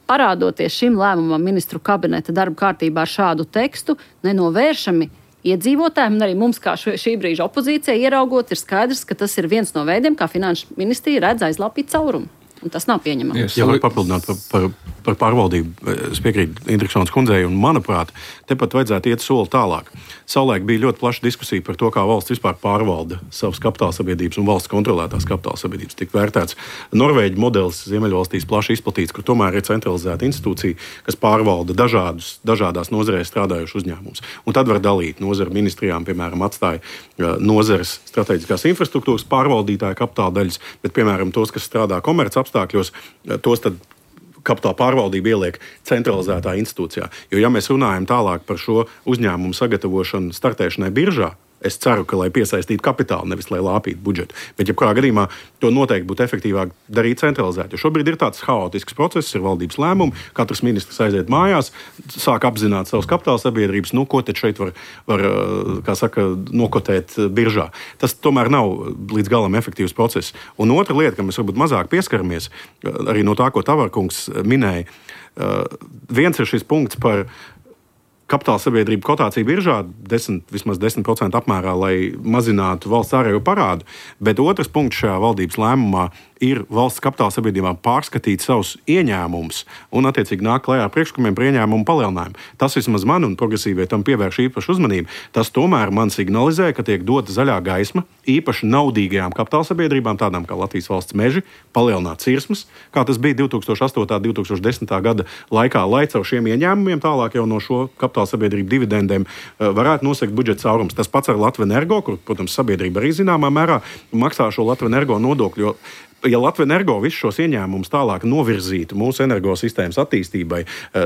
E: parādoties šim lēmumam ministru kabineta darba kārtībā ar šādu tekstu, nenovēršami iedzīvotājiem un arī mums, kā šī brīža opozīcija, ieraugot, ir skaidrs, ka tas ir viens no veidiem, kā finanšu ministrija redz aizlāpīt caurumu. Un tas nav pieņemams.
D: Jā, var papildināt par par pārvaldību es piekrītu Indriksons kundzei, un manuprāt, tepat vajadzētu iet soli tālāk. Savulaik bija ļoti plaša diskusija par to, kā valsts vispār pārvalda savas kapitālsabiedrības un valsts kontrolētās kapitālsabiedrības. Tik vērtēts Norvēģu modelis Ziemeļvalstīs plaši izplatīts, kur tomēr ir centralizēta institūcija, kas pārvalda dažādās nozarēs strādājušus uzņēmumus. Un tad var dalīt nozaru ministrijām, piemēram, atstāja nozares strateģiskās infrastruktūras pārvaldītāja kapitāla daļas, bet, piemēram, tos, kas strādā komerc apstākļos, tos tad kapitāla pārvaldība ieliek centralizētā institūcijā. Jo, ja mēs runājam tālāk par šo uzņēmumu sagatavošanu startēšanai biržā, es ceru, ka lai piesaistītu kapitālu, nevis lai lāpītu budžetu. Bet, ja kurā gadījumā to noteikti būtu efektīvāk darīt centralizēt. Jo šobrīd ir tāds haotisks process, ir valdības lēmumi, katrs ministrs aiziet mājās, sāk apzināt savas kapitāla sabiedrības, ko tad šeit var kā saka, nokotēt biržā. Tas tomēr nav līdz galam efektīvs process. Un otra lieta, kam mēs varbūt mazāk pieskaramies, arī no tā, ko Tavarkungs minēja, viens ir šis punkts par kapitāla sabiedrību kotāciju biržā vismaz 10% apmērā, lai mazinātu valsts ārējo parādu, bet otrs punkts šajā valdības lēmumā ir valsts kapitāla sabiedrībām pārskatīt savus ieņēmumus un, attiecīgi, nāk klajā ar priekšlikumiem par ieņēmumu palielinājumu. Tas vismaz man un progresīvie tam pievērš īpašu uzmanību. Tas tomēr man signalizē, ka tiek dota zaļā gaisma īpaši naudīgajām kapitāla sabiedrībām, tādām kā Latvijas valsts meži, palielināt cirsmas, kā tas bija 2008. 2010. gada laikā, lai caur šiem ieņēmumiem tālāk jau no šo kapitāla sabiedrību dividendēm varētu nosegt budžeta caurums. Tas pats ar Latvenergo, kur, protams, sabiedrība arī zināmā mērā maksā šo Latvenergo nodokļu, jo ja Latvenergo visus šos ieņēmumus tālāk novirzītu mūsu energosistēmas attīstībai,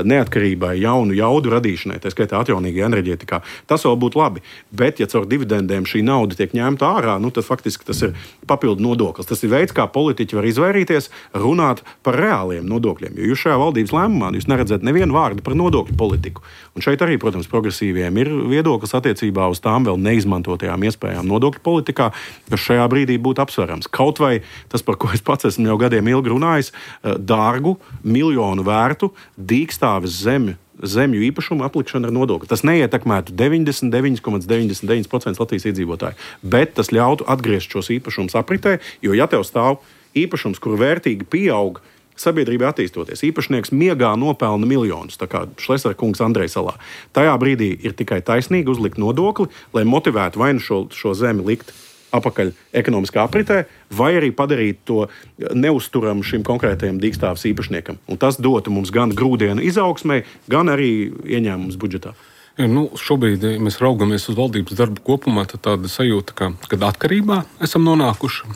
D: neatkarībai, jaunu jaudu radīšanai, tā skaitā atjaunīgajā enerģētikā, tas vēl būtu labi. Bet, ja caur dividendēm šī nauda tiek ņemta ārā, tad faktiski tas ir papildu nodoklis. Tas ir veids, kā politiķi var izvairīties runāt par reāliem nodokļiem. Jo jūs šajā valdības lēmumā jūs neredzat nevienu vārdu par nodokļu politiku. Un šeit arī, protams, progresīviem ir viedoklis attiecībā uz tām vēl neizmantotajām iespējām nodokļu politikā, kas šajā brīdī būtu apsverams. Kaut vai tas, par ko es pats esmu jau gadiem ilgi runājis, dārgu, miljonu vērtu dīkstāves zemju īpašumu aplikšana ar nodokli. Tas neietekmētu 99,99% Latvijas iedzīvotāju, bet tas ļautu atgriezt šos īpašumus apritē, jo ja tev stāv īpašums, kur vērtīgi pieaug sabiedrībai attīstoties, īpašnieks miegā nopelna miljonus, tā kā Šlesera kungs Andrejsalā. Tajā brīdī ir tikai taisnīgi uzlikt nodokli, lai motivētu vai nu šo zemi likt apakaļ ekonomiskā apritē, vai arī padarīt to neuzturamu šim konkrētajam dīkstāves īpašniekam. Un tas dotu mums gan grūdienu izaugsmai, gan arī ieņēmumus budžetā.
F: Ja, šobrīd, ja mēs raugamies uz valdības darbu kopumā, tad tāda sajūta, kad atkarībā esam nonākuši,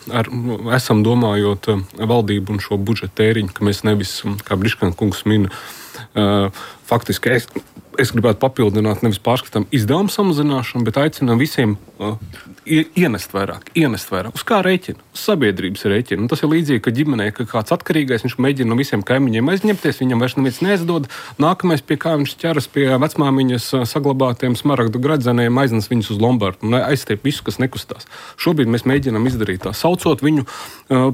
F: esam domājot valdību un šo budžeta tēriņu, ka mēs nevis, kā Briškāna kungs min, faktiski es gribētu papildināt nevis pārskatām izdevumu samazināšanu, bet aicinām visiem ienest vairāk. Uz kā rēķina? Uz sabiedrības rēķina. Un tas ir līdzīgi, ka ģimenē, ka kāds atkarīgais, viņš mēģina no visiem kaimiņiem aizņemties, viņam vairs neviens neizdod. Nākamais, pie kā viņš ķeras pie vecmāmiņas saglabātiem smaragdu gradzeniem, aiznes viņus uz Lombardu un aizstiep visu, kas nekustās. Šobrīd mēs mēģinām izdarīt tā, saucot viņu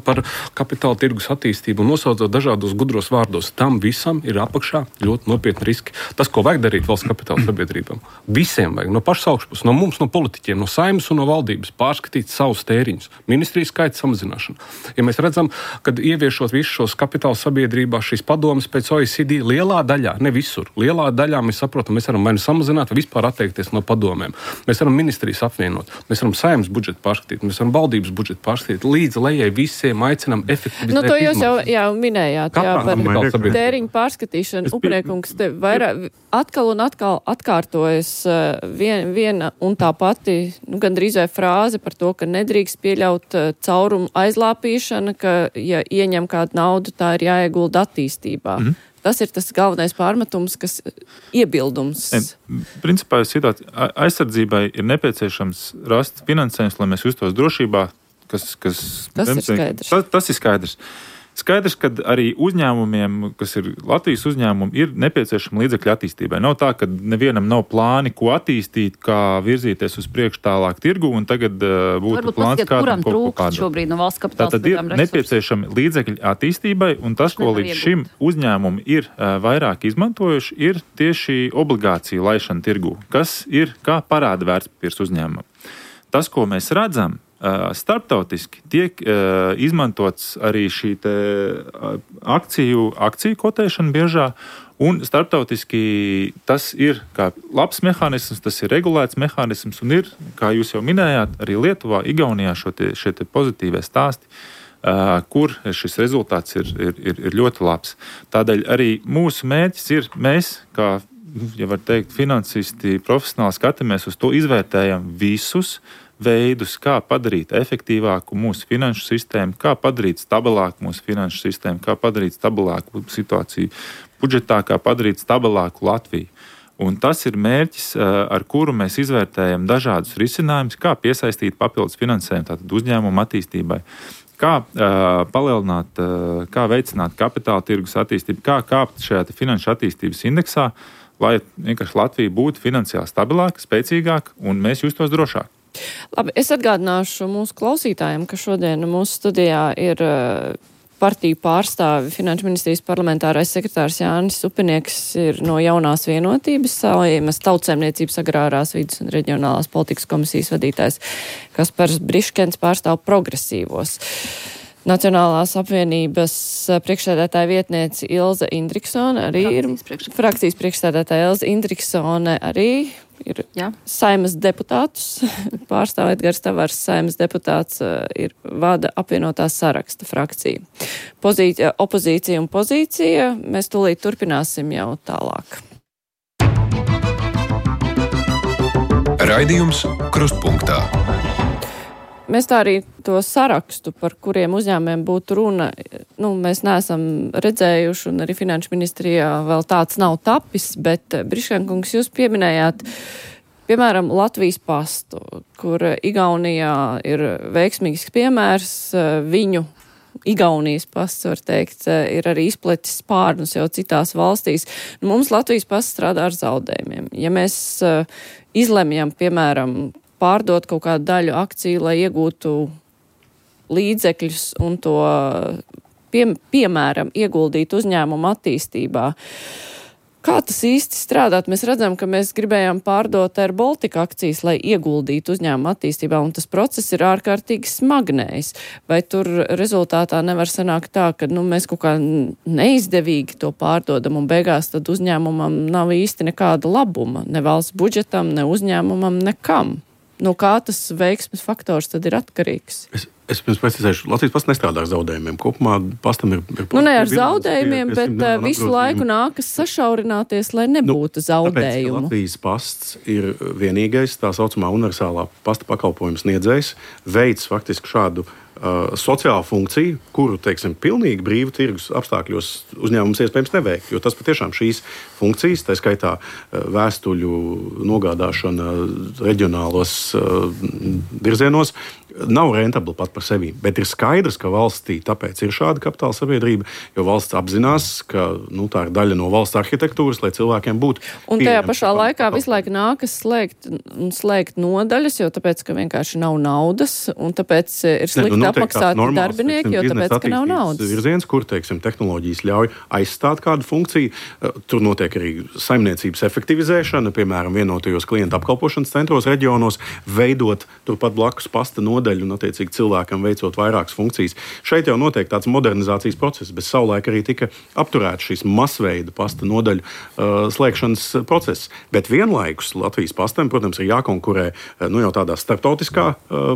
F: par kapitāla tirgus attīstību un nosaucot dažādos gudros vārdos. Tam visam ir apakšā ļoti nopietni riski. Tas, ko vajag darīt valsts kapitāla sabiedrībām, visiem vajag, no pašas augšpuses, no mums, no politiķiem, no saimnes un no valdības pārskatīt savus tēriņus, ministrijas skaita samazināšanu. Ja mēs redzam, ka ieviešot visus šos kapitāla sabiedrībās šīs padomas pēc OECD lielā daļā, ne visur, lielā daļā mēs saprotam, mēs varam vai nu samazināt, vai vispār atteikties no padomēm. Mēs varam ministrijas apvienot, mēs varam saimnes budžetu pārskatīt, mēs varam valdības budžetu pārskatīt, līdz lejai visiem aicinām efektivizēt.
B: To jūs jau minējāt, par tēriņu pārskatīšanu. Upriekungs, te vairāk atkal un atkal atkārtojas viena un tā pati, gandrīz vai frāze par to, ka nedrīkst pieļaut caurumu aizlāpīšana, ka, ja ieņem kādu naudu, tā ir jāiegulda attīstībā. Tas ir tas galvenais pārmetums, kas iebildums.
C: Principā aizsardzībai ir nepieciešams rast finansējums, lai mēs justos drošībā. Tas ir skaidrs. Tas ir skaidrs. Skaidrs, ka arī uzņēmumiem, kas ir Latvijas uzņēmumi, ir nepieciešama līdzekļu attīstībai. Nav tā, ka nevienam nav plāni, ko attīstīt, kā virzīties uz priekšu tālāk tirgu, un tagad būtu plāns kādam kaut ko kādu.
E: Šobrīd no valsts kapitāla
C: tātad ir nepieciešami līdzekļi attīstībai, un tas, ko līdz šim uzņēmumi ir vairāk izmantojuši, ir tieši obligāciju laišana tirgu, kas ir kā parāda vērtspapīrs uzņēmumam. Tas, ko mēs redzam, Starptautiski tiek izmantots arī šī akciju kotēšana biežā, un starptautiski tas ir kā labs mehānisms, tas ir regulēts mehānisms, un ir, kā jūs jau minējāt, arī Lietuvā, Igaunijā šie pozitīvie stāsti, kur šis rezultāts ir ļoti labs. Tādēļ arī mūsu mērķis ir, mēs, kā, ja var teikt, finansisti, profesionāli skatāmies uz to, izvērtējam visus veidus, kā padarīt efektīvāku mūsu finanšu sistēmu, kā padarīt stabilāku mūsu finanšu sistēmu, kā padarīt stabilāku situāciju budžetā, kā padarīt stabilāku Latviju. Un tas ir mērķis, ar kuru mēs izvērtējam dažādus risinājumus, kā piesaistīt papildus finansējumu tātad uzņēmumu attīstībai, kā palielināt, kā veicināt kapitāla tirgus attīstību, kā kāpt šajā finanšu attīstības indeksā, lai vienkārši Latvija būtu finansiāli stabilāka, spēcīgāka un mēs justos drošāk.
B: Labi, es atgādināšu mūsu klausītājiem, ka šodien mūsu studijā ir partiju pārstāvi Finanšu ministrijas parlamentārais sekretārs Jānis Upinieks ir no Jaunās vienotības, Saeimas Tautsaimniecības agrārās vides un reģionālās politikas komisijas vadītājs Kaspars Briškens pārstāv progresīvos. Nacionālās apvienības priekšsēdētāja vietniece Ilze Indriksone arī frakcijas priekšsēdētāja Ilze Indriksone arī ir Saeimas deputātus, pārstāv Edgars Tavars, Saeimas deputāts vada apvienotā saraksta frakcija. Opozīcija un pozīcija, mēs tūlīt turpināsim jau tālāk.
A: Raidījums Krustpunktā.
B: Mēs tā arī to sarakstu, par kuriem uzņēmumiem būtu runa, mēs neesam redzējuši, un arī Finanšu ministrijā vēl tāds nav tapis, bet Briškenkungs, jūs pieminējāt, piemēram, Latvijas pastu, kur Igaunijā ir veiksmīgs piemērs, viņu Igaunijas pasts, var teikt, ir arī izpletis spārnus jau citās valstīs. Mums Latvijas pasts strādā ar zaudējumiem. Ja mēs izlemjam, piemēram, pārdot kaut kādu daļu akciju, lai iegūtu līdzekļus un to, piemēram, ieguldīt uzņēmumu attīstībā. Kā tas īsti strādāt? Mēs redzam, ka mēs gribējām pārdot Air Baltica akcijas, lai ieguldītu uzņēmumu attīstībā, un tas process ir ārkārtīgi smagnējs. Vai tur rezultātā nevar sanākt tā, ka mēs kaut kā neizdevīgi to pārdodam, un beigās tad uzņēmumam nav īsti nekāda labuma, ne valsts budžetam, ne uzņēmumam, nekam? No kā tas veiksmes faktors tad ir atkarīgs?
D: Es pirms precizēšu, Latvijas pasts nestrādā ar zaudējumiem. Kopumā pastam ir
B: ne ar zaudējumiem, bet visu laiku nākas sašaurināties, lai nebūtu zaudējumu.
D: Tāpēc Latvijas pasts ir vienīgais tā saucamā universālā pasta pakalpojuma sniedzējs, veids faktiski šādu sociālu funkciju, kuru, teiksim, pilnīgi brīvu tirgus apstākļos uzņēmums iespējams neveikt, jo tas patiešām šīs funkcijas, tā skaitā vēstuļu nogādāšana reģionālos virzienos, nav rentabla pat par sevi, bet ir skaidrs, ka valstī tāpēc ir šāda kapitāla sabiedrība, jo valsts apzinās, ka tā ir daļa no valsts arhitektūras, lai cilvēkiem būtu.
B: Un tajā pašā laikā visu laiku nākas slēgt nodaļas, jo tāpēc, ka vienkārši nav naudas, un tāpēc ir slikti apmaksāti darbinieki, jo tāpēc, ka nav naudas.
D: Virziens, kur, teiksim, tehnoloģijas ļauj aizstāt kādu funkciju, tur notiek arī saimniecības efektivizēšana, piemēram, vienotajos klientu apkalpošanas centros, reģionos, veidot turpat blakus pasta nodaļu un, attiecīgi, cilvēkam veicot vairākas funkcijas. Šeit jau notiek tāds modernizācijas process, bet savulaik arī tika apturēts šīs masveida pasta nodaļu slēgšanas process. Bet vienlaikus Latvijas pastam, protams, ir jākonkurē jau tādā starptautiskā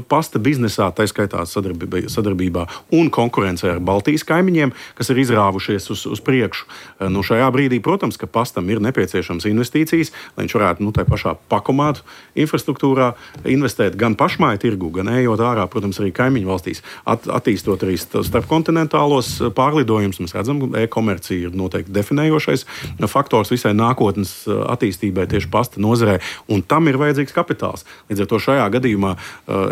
D: pasta biznesā, tā skaitā sadarbībā un konkurencē ar Baltijas kaimiņiem, kas ir izrāvušies uz priekšu. Šajā brīdī, protams, ka pastam ir nepieciešams investīcijas, lai viņš varētu tā pašā pakomātu infrastruktūrā investēt gan pašmāju tirgu, gan ejot ārā, protams, arī kaimiņu valstīs, attīstot arī starpkontinentālos pārlidojumus. Mēs redzam, ka e-komercija ir noteikti definējošais faktors visai nākotnes attīstībai tieši pasta nozarē, un tam ir vajadzīgs kapitāls. Līdz ar to šajā gadījumā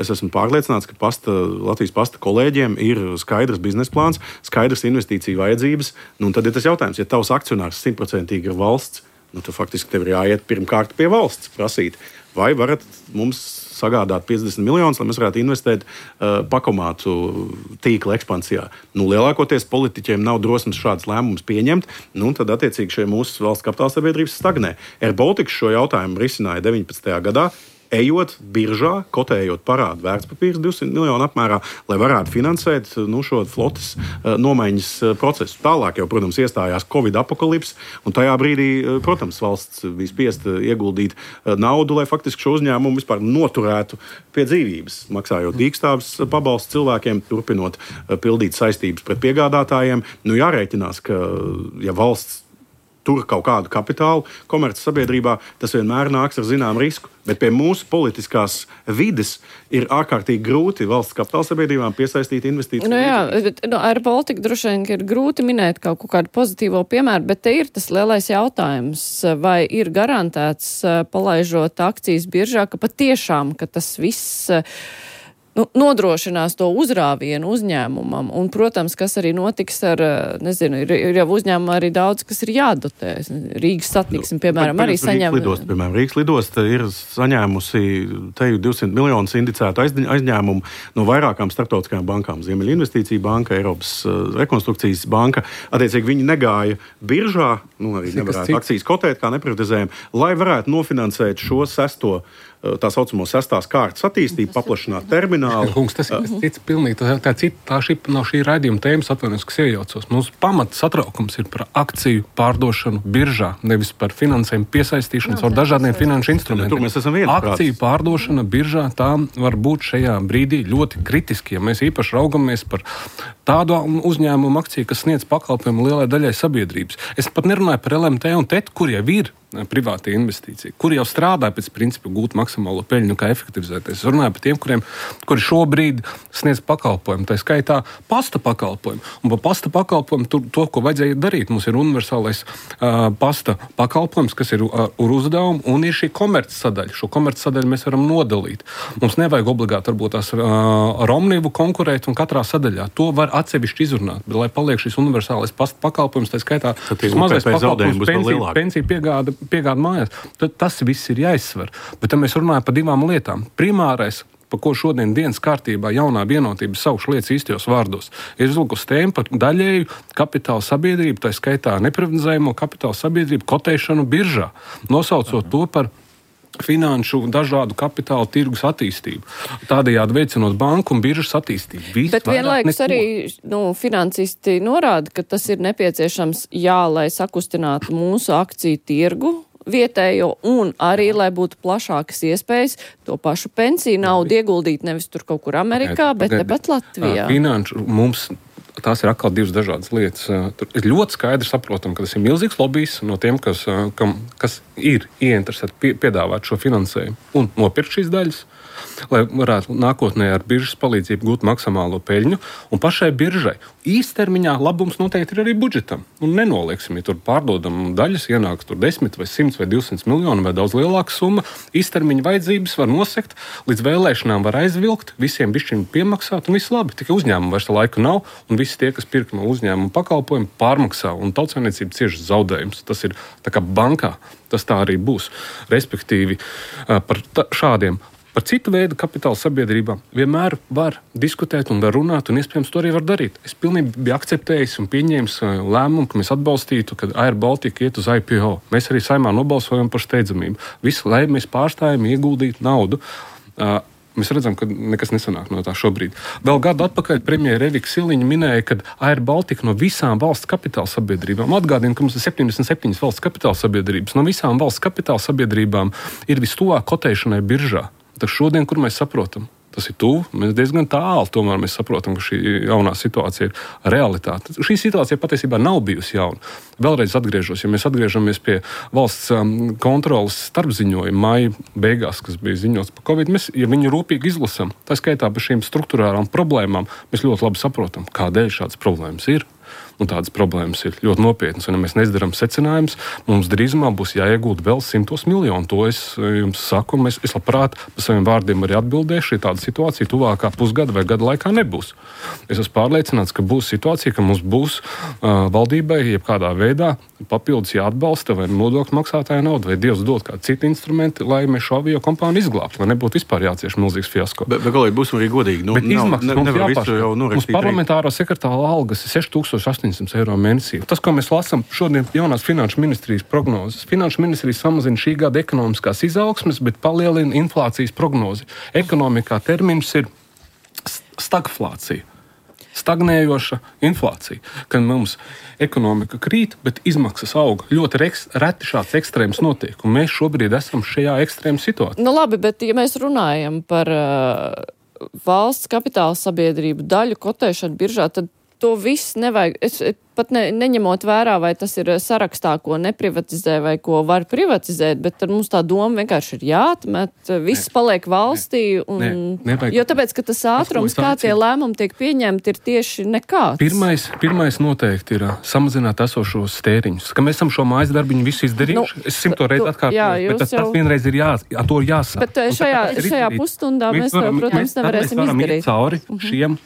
D: es esmu pārliecināts, ka Latvijas pasta kolēģiem ir skaidrs biznesa plāns, skaidrs investīciju vajadzības, un tad ir tas jautājums, ja tavs akcionārs 100% ir valsts, tad faktiski tev ir jāiet pirmkārt pie valsts prasīt, vai varat mums sagādāt 50 miljonus, lai mēs varētu investēt pakomātu tīkla ekspansijā. Lielākoties politiķiem nav drosmes šādas lēmumus pieņemt, tad attiecīgi šie mūsu valsts kapitāla sabiedrības stagnē. Air Baltica šo jautājumu risināja 19. gadā. ejot biržā, kotējot parādu vērtspapīrus 200 miljonu apmērā, lai varētu finansēt šo flotes nomaiņas procesu. Tālāk jau, protams, iestājās Covid apakalips, un tajā brīdī, protams, valsts bija spiesta ieguldīt naudu, lai faktiski šo uzņēmumu vispār noturētu pie dzīvības, maksājot dīkstāves pabalstu cilvēkiem, turpinot pildīt saistības pret piegādātājiem. Jārēķinās, ka, ja valsts tur kaut kādu kapitālu komerces sabiedrībā, tas vienmēr nāks ar zināmu risku. Bet pie mūsu politiskās vides ir ārkārtīgi grūti valsts kapitāla sabiedrībām piesaistīt investīciju.
B: Bet ar Baltiku droši vien ir grūti minēt kaut kādu pozitīvo piemēru, bet te ir tas lielais jautājums, vai ir garantēts, palaižot akcijas biržā, ka patiešām, ka tas viss nodrošinās to uzrāvienu uzņēmumam. Un, protams, kas arī notiks ar, ir jau uzņēmumi arī daudz, kas ir jādotē. Rīgas satiksme, piemēram, arī saņem.
D: Rīgas lidosta ir saņēmusi teju 200 miljonus indicētu aizņēmumu no vairākām starptautiskajām bankām. Ziemeļa investīcija banka, Eiropas rekonstrukcijas banka. Attiecīgi viņi negāja biržā, arī nevarētu akcijas kotēt, kā neprivatizējumi, lai varētu nofinansēt šo tā saucamo sestās kārtas attīstību, paplašināt terminālu.
F: Kungs, tas ir cits pilnīgi. Tā nav šī raidījuma tēmas, atvainojos, kas iejaucos. Mums pamata satraukums ir par akciju pārdošanu biržā, nevis par finansējumu piesaistīšanu ar dažādiem finanšu instrumentiem.
D: Tur mēs esam viensprātis.
F: Akciju pārdošana biržā, tā var būt šajā brīdī ļoti kritiski, ja mēs īpaši raugamies par tādu uzņēmumu akciju, kas sniedz pakalpojumu lielai daļai sabiedrības. Es pat nerunāju par LMT un TET, kur jau ir privāta investīcija, kuri jau strādā pēc principa gūt maksimālo peļņu, kā efektivizēties. Es runāju par tiem, kuri šobrīd sniedz pakalpojumu, tā skaitā pasta pakalpojumu. Un par pasta pakalpojumu to, ko vajadzēja darīt, mums ir universālais pasta pakalpojums, kas ir ar uzdevumu, un ir šī komerces sadaļa. Šo komerces sadaļu mēs varam nodalīt. Mums nevajag obligāti varbūt tās ar Omnivu konkurēt un katrā sadaļā. To var atsevišķi izrunāt, bet lai paliek šis universālais pasta pakalpojums, tā skaitā mazais pakalpojums, pensiju piegāda mājās, tad tas viss ir jāizsver. Bet tad mēs runājam par divām lietām. Primārais, par ko šodien dienas kārtībā jaunā vienotība saukšu lietas īstajos vārdos, ir uzlikusi tēmu par daļēju kapitāla sabiedrību, tā skaitā neprivatizējumu kapitāla sabiedrību kotēšanu biržā, nosaucot to par finanšu dažādu kapitāla tirgus attīstību. Tādējādi veicinot banku un biržas attīstību.
B: Bet vienlaikus arī finansisti norāda, ka tas ir nepieciešams, lai sakustinātu mūsu akciju tirgu vietējo un arī, lai būtu plašākas iespējas to pašu pensiju naudu ieguldīt nevis tur kaut kur Amerikā, bet tepat Latvijā.
F: Finanšu mums tās ir atkal divas dažādas lietas. Tur ir ļoti skaidri saprotam, ka tas ir milzīgs lobijs no tiem, kas ir ieinteresēti piedāvāt šo finansējumu un nopirkt šīs daļas, lai varētu nākotnē ar biržas palīdzību gūt maksimālo peļņu. Un pašai biržai īstermiņā labums noteikti ir arī budžetam. Un nenolieksim, ja tur pārdodam daļas, ienāks tur 10 vai 100 vai 200 miljonu vai daudz lielāka summa. Īstermiņa vajadzības var nosekt, līdz vēlēšanām var aizvilkt, visiem bišķiņi piemaksāt un viss labi. Tikai uzņēmumu vairs laika nav un visi tie, kas pirk no uzņēmuma pakalpojumu, pārmaksā un tautsājniecība cieši zaudējums. Tas ir tā kā bankā, tas tā arī būs. Respektīvi par šādiem. Par citu veidu kapitāla sabiedrībām vienmēr var diskutēt un var runāt, un iespējams to arī var darīt. Es pilnīgi biju akceptējis un pieņēmis lēmumu, ka mēs atbalstītu, kad Air Baltica iet uz IPO. Mēs arī Saeimā nobalsojam par steidzamību. Visu, lai mēs pārstājam ieguldīt naudu. Mēs redzam, ka nekas nesanāk no tā šobrīd. Vēl gadu atpakaļ premjera Evika Siliņa minēja, ka Air Baltica no visām valsts kapitāla sabiedrībām, atgādina, ka mums ir 77 valsts kapitāla sabiedrības, no visām valsts kapitāla sabiedrībām ir vistuvāk kotēšanai biržā. Tas šodien, kur mēs saprotam, tas ir tuvu, mēs diezgan tālu, tomēr mēs saprotam, ka šī jaunā situācija ir realitāte. Šī situācija patiesībā nav bijusi jauna. Vēlreiz atgriežos, ja mēs atgriežamies pie valsts kontrolas starpziņojuma māja beigās, kas bija ziņots par Covid, mēs, ja viņu rūpīgi izlasam, tā skaitā par šīm struktūrālām problēmām, mēs ļoti labi saprotam, kādēļ šādas problēmas ir. Un tādas problēmas ir ļoti nopietnas. Un, ja mēs neizdarām secinājumus, mums drīzumā būs jāiegūt vēl 100 miljonu. To es jums saku, un es labprāt par saviem vārdiem arī atbildēšu, ja tāda situācija tuvākā pusgada vai gada laikā nebūs. Es esmu pārliecināts, ka būs situācija, ka mums būs valdībai jebkādā veidā papildus jāatbalsta vai nodokļu maksātāja nauda, vai Dievs dod kādu citu instrumentu, lai mēs šo avio kompāniju izglābtu, lai nebūtu vispār jācieš milzīgs fiasko.
D: Bet galīgi būsim arī godīgi.
F: Bet izmaksas mums jāpašķir. Mums parlamentāro sekretāra algas ir 6800 700 eiro mēnesī. Tas, ko mēs lasām šodien jaunās finanšu ministrijas prognozes. Finanšu ministrijas samazina šī gada ekonomiskās izaugsmes, bet palielina inflācijas prognozi. Ekonomikā termins ir stagflācija. Stagnējoša inflācija, kad mums ekonomika krīt, bet izmaksas auga. Ļoti reti šāds ekstrēms notiek, un mēs šobrīd esam šajā ekstrēma situācijā.
B: Nu labi, bet ja mēs runājam par valsts kapitāla sabiedrību daļu kotēšanu biržā, tad to viss nevajag. Es pat neņemot vērā, vai tas ir sarakstā, ko neprivatizē vai ko var privatizēt, bet tad mums tā doma vienkārši ir jāatmet, viss paliek valstī. Jo tāpēc, ka tas ātrums, kā tie lēmumi tiek pieņemti, ir tieši nekāds.
F: Pirmais noteikti ir samazināt esošos tēriņus. Ka mēs esam šo mājas darbiņu visu izdarījuši. Es 100 reizi atkārtoju, bet tas vienreiz ir to jāsāk.
B: Bet šajā pusstundā mēs to, protams, nevarēsim izdarīt.
F: Mēs varam iet cauri šiem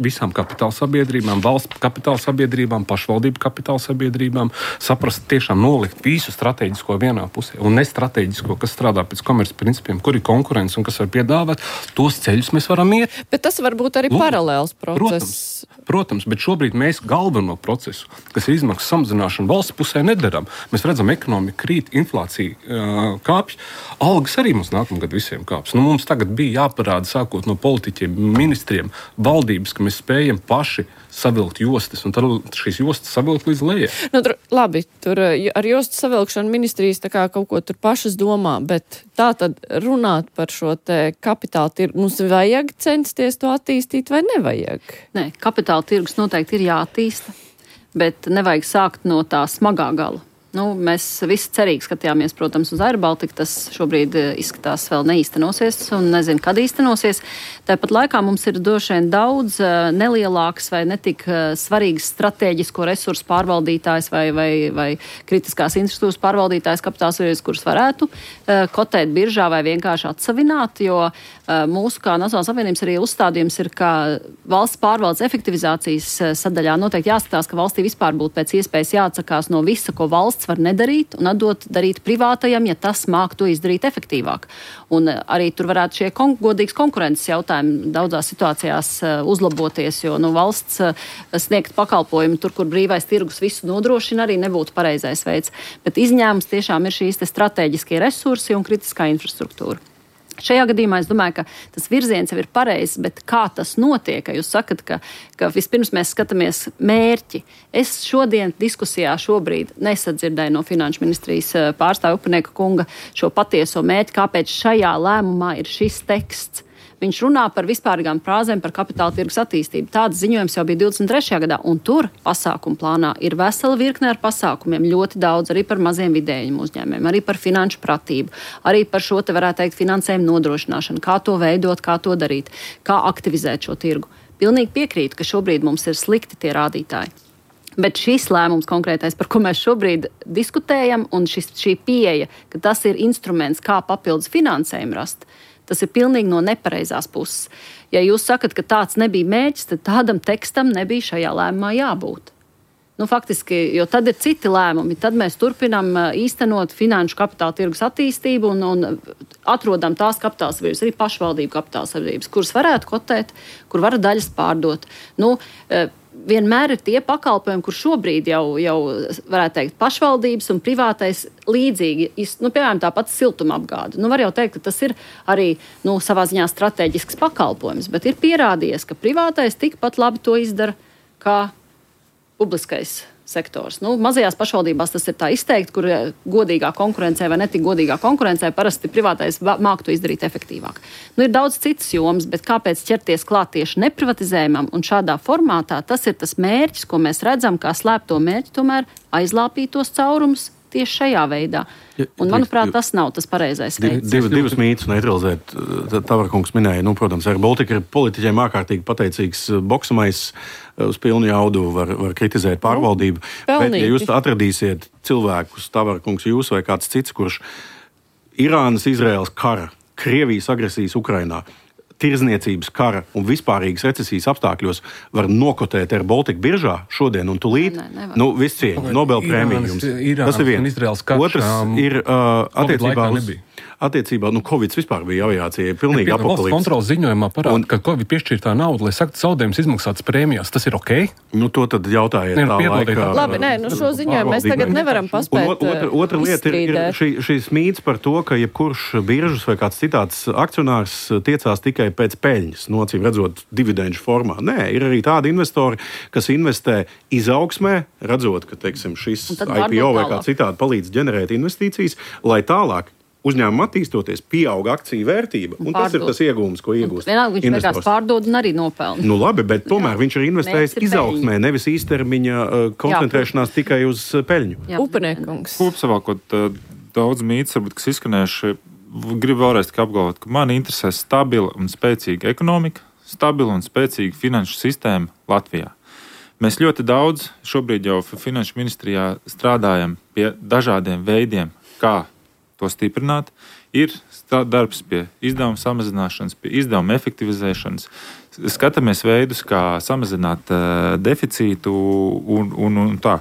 F: visām kapitāla sabiedrībām, valsts kapitāla sabiedrībām, pašvaldību kapitāla sabiedrībām, saprast tiešām nolikt visu strateģisko vienā pusē un nestrateģisko, kas strādā pēc komerces principiem, kur ir konkurence un kas var piedāvāt, tos ceļus mēs varam iet.
B: Bet tas var būt arī paralēls process.
F: Protams, bet šobrīd mēs galveno procesu, kas ir izmaksu samazināšana valsts pusē, nedaram. Mēs redzam, ekonomika krīt, inflācija kāpj, algas arī mums nākamgad visiem kāps. Mums tagad bija jāparāda, sākot no politiķiem, ministriem, valdības, ka mēs spējam paši savilkt jostas, un tad šīs jostas savilkt līdz lejai.
B: Labi, tur ar jostu savilkšanu ministrijas tā kā kaut ko tur pašas domā, bet tā tad runāt par šo te kapitāla tirgu, mums vajag censties to attīstīt vai nevajag?
E: Nē, kapitāla tirgus noteikti ir jāattīsta, bet nevajag sākt no tā smagā gala. Mēs visi cerīgi skatījāmies, protams, uz Air Baltica. Tas šobrīd izskatās vēl neīstenosies un nezinu, kad īstenosies. Tāpat laikā mums ir droši vien daudz nelielāks vai netik svarīgs strateģisko resursu pārvaldītājs vai kritiskās infrastruktūras pārvaldītājs kapitāla sabiedrības, kurus varētu kotēt biržā vai vienkārši atsavināt, jo mūsu kā Nacionālās apvienības arī uzstādījums ir, ka valsts pārvaldes efektivizācijas sadaļā noteikti jāskatās, ka valstī vispār būtu pēc iespējas jāatsakās no visa, ko valsts var nedarīt un atdot darīt privātajam, ja tas māk to izdarīt efektīvāk. Un arī tur varētu šie godīgas konkurences jautājumi daudzās situācijās uzlaboties, jo valsts sniegt pakalpojumu tur, kur brīvais tirgus visu nodrošina, arī nebūtu pareizais veids. Bet izņēmums tiešām ir šīs te strateģiskie resursi un kritiskā infrastruktūra. Šajā gadījumā es domāju, ka tas virziens jau ir pareizs, bet kā tas notiek, ka jūs sakat, ka vispirms mēs skatāmies mērķi. Es šodien diskusijā šobrīd nesadzirdēju no Finanšu ministrijas pārstāvja Upanieka kunga šo patieso mērķi, kāpēc šajā lēmumā ir šis teksts. Viņš runā par vispārīgām frāzēm par kapitāla tirgus attīstību. Tāds ziņojums jau bija 23. gadā, un tur pasākumu plānā ir vesela virkne ar pasākumiem, ļoti daudz arī par maziem vidējiem uzņēmumiem, arī par finanšu pratību, arī par šo te varētu teikt finansējumu nodrošināšanu, kā to veidot, kā to darīt, kā aktivizēt šo tirgu. Pilnīgi piekrītu, ka šobrīd mums ir slikti tie rādītāji. Bet šis lēmums konkrētais, par ko mēs šobrīd diskutējam, un šī pieeja, ka tas ir instruments, kā papildus finansējumu rast, tas ir pilnīgi no nepareizās puses. Ja jūs sakat, ka tāds nebija mērķis, tad tādam tekstam nebija šajā lēmumā jābūt. Faktiski, jo tad ir citi lēmumi. Tad mēs turpinām īstenot finanšu kapitāla tirgus attīstību un atrodam tās kapitāla sabiedrības, arī pašvaldību kapitāla sabiedrības, kuras varētu kotēt, kur var daļas pārdot. Vienmēr ir tie pakalpojumi, kur šobrīd jau varētu teikt pašvaldības un privātais līdzīgi, piemēram, tāpat siltumapgāde. Var jau teikt, ka tas ir arī savā ziņā strateģisks pakalpojums, bet ir pierādījies, ka privātais tikpat labi to izdara kā publiskais sektors. Mazajās pašvaldībās tas ir tā izteikti, kur godīgā konkurencē vai netik godīgā konkurencē parasti privātais māk to izdarīt efektīvāk. Ir daudz citas jomas, bet kāpēc ķerties klāt tieši neprivatizējumam un šādā formātā, tas ir tas mērķis, ko mēs redzam, kā slēpto mērķi tomēr aizlāpīt tos caurumus tieši šajā veidā. Un, manuprāt, tas nav tas pareizais veids.
D: Divas mītus neutralizēt. Tavarkungs minēja, protams, Air Baltica ir politiķiem ārkārtīgi pateicīgs boksamais uz pilnu jaudu, var kritizēt pārvaldību. Bet, ja jūs atradīsiet cilvēkus, Tavarkungs, jūs vai kāds cits, kurš Irānas, Izraēlas kara, Krievijas agresijas Ukrainā, tirzniecības kara un vispārīgas recesijas apstākļos var nokotēt Air Baltica biržā šodien un tūlīt. Viss cieņa, Nobel prēmija jums. Tas ir viens. Otrs ir attiecībā, Covid vispār bija aviācija pilnīgi apokalipse.
F: Valsts kontrolas ziņojumā parāda, ka Covid piešķirtā nauda, lai saktu zaudējumus izmaksātas prēmijās, tas ir ok?
D: To tad jautājiet tā laikā.
B: Labi, šo ziņojumu mēs tagad nevaram paspēt.
D: Otra lieta ir šīs mīts par to, ka jebkurš biržas vai kāds citāds akcionārs tiecās tikai pēc peļņas, acīm redzot dividendžu formā. Nē, ir arī tādi investori, kas investē izaugsmē, redzot, ka, teiksim, šis IPO vai kā citādi palīdz ģenerēt investīcijas, lai tālāk uzņēmumu attīstoties, pieaug akciju vērtība, un tas ir tas iegūms, ko iegūst.
E: Vienalga viņš vienkārši pārdod un arī nopelna.
D: Labi, bet tomēr viņš ir investējis izaugsmē, nevis īstermiņa koncentrēšanās tikai uz peļņu.
B: Upeniekungs.
C: Kopsavilkot daudz mītus, varbūt, kas izskanējuši, gribu vēlreiz apgalvot, ka mani interesē stabila un spēcīga ekonomika, stabila un spēcīga finanšu sistēma Latvijā. Mēs ļoti daudz šobrīd jau Finanšu ministrijā strādājam pie dažādiem veidiem, kā to stiprināt, ir darbs pie izdevuma samazināšanas, pie izdevuma efektivizēšanas. Skatāmies veidus, kā samazināt deficītu un tā.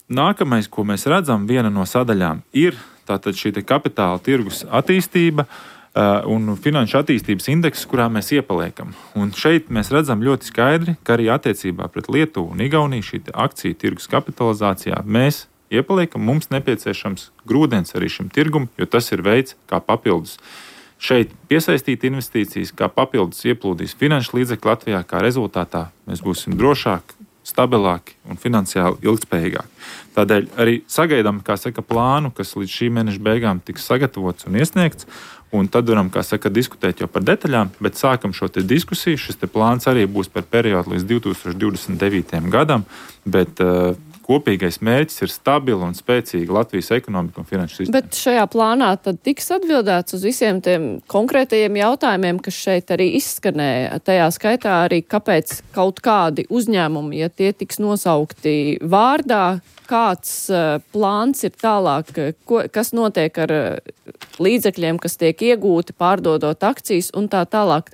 C: Nākamais, ko mēs redzam, viena no sadaļām ir tātad šī kapitāla tirgus attīstība un finanšu attīstības indeks, kurā mēs iepaliekam. Un šeit mēs redzam ļoti skaidri, ka arī attiecībā pret Lietuvu un Igauniju šī akciju tirgus kapitalizācijā mēs iepaliekam, mums nepieciešams grūdens arī šim tirgum, jo tas ir veids, kā papildus šeit piesaistīt investīcijas, kā papildus ieplūdīs finanšu līdzekļi Latvijā, kā rezultātā mēs būsim drošāki, stabilāki un finansiāli ilgspējīgāki. Tādēļ arī sagaidām, plānu, kas līdz šī mēneša beigām tiks sagatavots un iesniegts, un tad varam, diskutēt jau par detaļām, bet sākam šo diskusiju. Šis plāns arī būs par periodu līdz 2029. gadam, bet kopīgais mērķis ir stabila un spēcīga Latvijas ekonomika un finanšu sistēma.
B: Bet šajā plānā tad tiks atbildēts uz visiem tiem konkrētajiem jautājumiem, kas šeit arī izskanēja. Tajā skaitā arī, kāpēc kaut kādi uzņēmumi, ja tie tiks nosaukti vārdā, kāds plāns ir tālāk, kas notiek ar līdzekļiem, kas tiek iegūti, pārdodot akcijas un tā tālāk.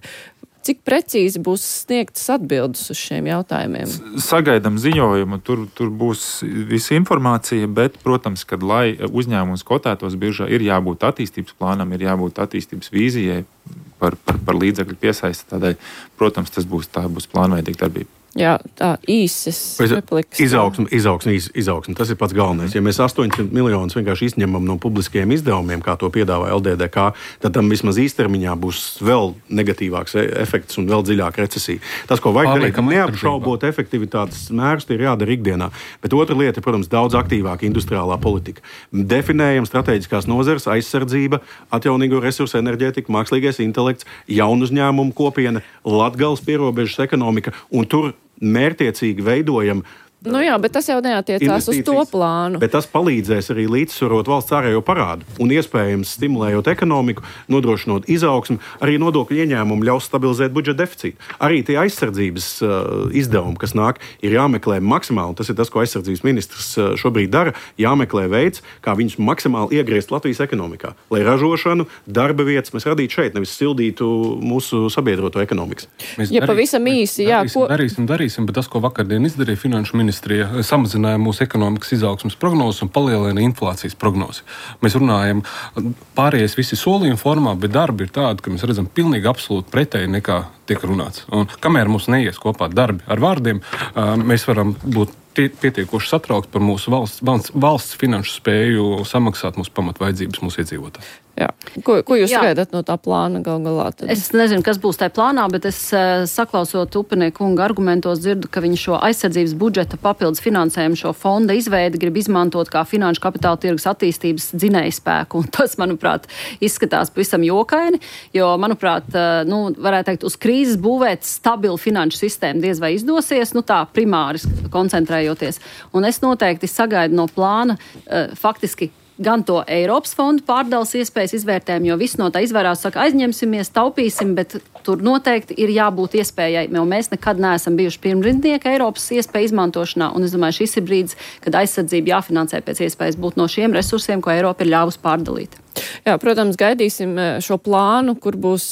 B: Cik precīzi būs sniegtas atbildes uz šiem jautājumiem?
C: Sagaidām ziņojumu, tur būs visa informācija, bet, protams, kad lai uzņēmums kotētos biržā, ir jābūt attīstības plānam, ir jābūt attīstības vīzijai par līdzekļu piesaisti. Tādēļ, protams, tā būs plānveidīga darbība.
B: Jā, tā īsas replikas.
D: Izaugsme. Tas ir pats galvenais. Ja mēs 800 miljonus vienkārši izņemam no publiskajiem izdevumiem, kā to piedāvā LDDK, tad tam vismaz īstermiņā būs vēl negatīvāks efekts un vēl dziļāka recesija. Tas, ko vajag darīt, neapšaubot efektivitātes mērus, ir jādara ikdienā. Bet otra lieta ir, protams, daudz aktīvāka industriālā politika. Definējam strateģiskās nozares, aizsardzība, atjaunīgo resursu enerģētika, mākslīgais intelekts, jaunu uzņēmumu kopiena, Latgales pierobežas ekonomika, un tur mērķiecīgi veidojam.
B: Jā, bet tas jau neatiecās uz to plānu.
D: Bet tas palīdzēs arī līdzsvarot valsts ārējo parādu un iespējams stimulējot ekonomiku, nodrošinot izaugsmu, arī nodokļu ieņēmumu ļaus stabilizēt budžeta deficītu. Arī tie aizsardzības izdevumi, kas nāk, ir jāmeklē maksimāli, un tas ir tas, ko aizsardzības ministrs šobrīd dara, jāmeklē veids, kā viņus maksimāli iegriezt Latvijas ekonomikā, lai ražošanu, darba vietas mēs radītu šeit, nevis sildītu mūsu sabiedroto ekonomikas.
B: Pavisam īsi,
F: darīsim, bet tas, ko vakardien izdarīja Finanšu ministrija, samazināja mūsu ekonomikas izaugsmas prognozes un palielina inflācijas prognozes. Mēs runājam pārējais visi solījumi formā, bet darbi ir tādi, ka mēs redzam pilnīgi absolūti pretēji nekā tiek runāts. Un kamēr mums neies kopā darbi ar vārdiem, mēs varam būt pietiekoši satraukti par mūsu valsts finanšu spēju samaksāt mūsu pamatvajadzības mūsu iedzīvotājiem.
B: Jā. Ko jūs sagaidat no tā plāna gal galā? Tad?
E: Es nezinu, kas būs tajā plānā, bet es saklausot Upenieku kunga argumentos dzirdu, ka viņi šo aizsardzības budžeta papildus finansējumu, šo fonda izveidi grib izmantot kā finanšu kapitāla tirgus attīstības dzinējspēku. Un tas, manuprāt, izskatās pavisam jokaini, jo, manuprāt, varētu teikt, uz krīzes būvēt stabilu finanšu sistēmu diez vai izdosies, tā primāri koncentrējoties. Un es noteikti sagaidu no plāna faktiski gan to Eiropas fondu pārdales iespējas izvērtējumu, jo viss no tā izvairās, saka, aizņemsimies, taupīsim, bet tur noteikti ir jābūt iespējai, jo mēs nekad neesam bijuši pirmrindnieki Eiropas iespēju izmantošanā, un es domāju, šis ir brīdis, kad aizsardzība jāfinansē pēc iespējas būt no šiem resursiem, ko Eiropa ir ļāvusi pārdalīt.
B: Jā, protams, gaidīsim šo plānu, kur būs,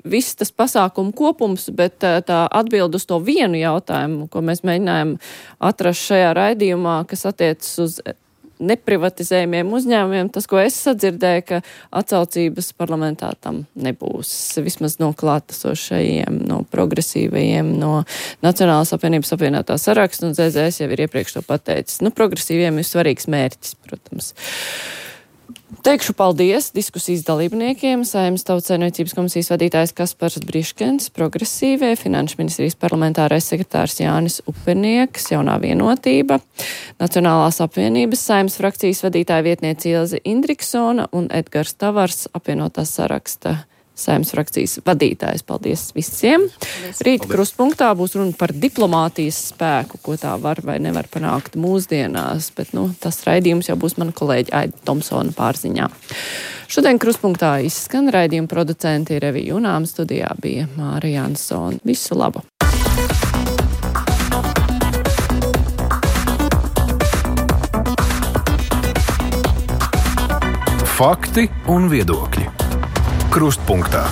B: viss tas pasākumu kopums, bet tā atbild uz to vienu jautājumu, ko mēs mēģinājām atrast šajā raidījumā, kas attiecas uz neprivatizējumiem uzņēmumiem, tas, ko es sadzirdēju, ka atsaucības parlamentā tam nebūs. Vismaz no klātesošajiem, no progresīvajiem, no Nacionālās apvienības apvienotā saraksta, un ZZS jau ir iepriekš to pateicis. Progresīviem ir svarīgs mērķis, protams. Teikšu paldies diskusijas dalībniekiem, Saeimas Tautsaimniecības komisijas vadītājs Kaspars Briškens, progresīvie, Finanšu ministrijas parlamentārais sekretārs Jānis Upenieks, Jaunā vienotība, Nacionālās apvienības Saeimas frakcijas vadītāja vietniece Ilze Indriksona un Edgars Tavars, apvienotās saraksta Saeimas frakcijas vadītājs. Paldies visiem. Rīt krustpunktā būs runa par diplomātijas spēku, ko tā var vai nevar panākt mūsdienās, bet, tas raidījums jau būs mana kolēģa Aida Tomsona pārziņā. Šodien krustpunktā izskan raidījuma producenti Revija Junām, studijā bija Māra Jansone. Visu labu!
A: Fakti un viedokļi. Krustpunktā.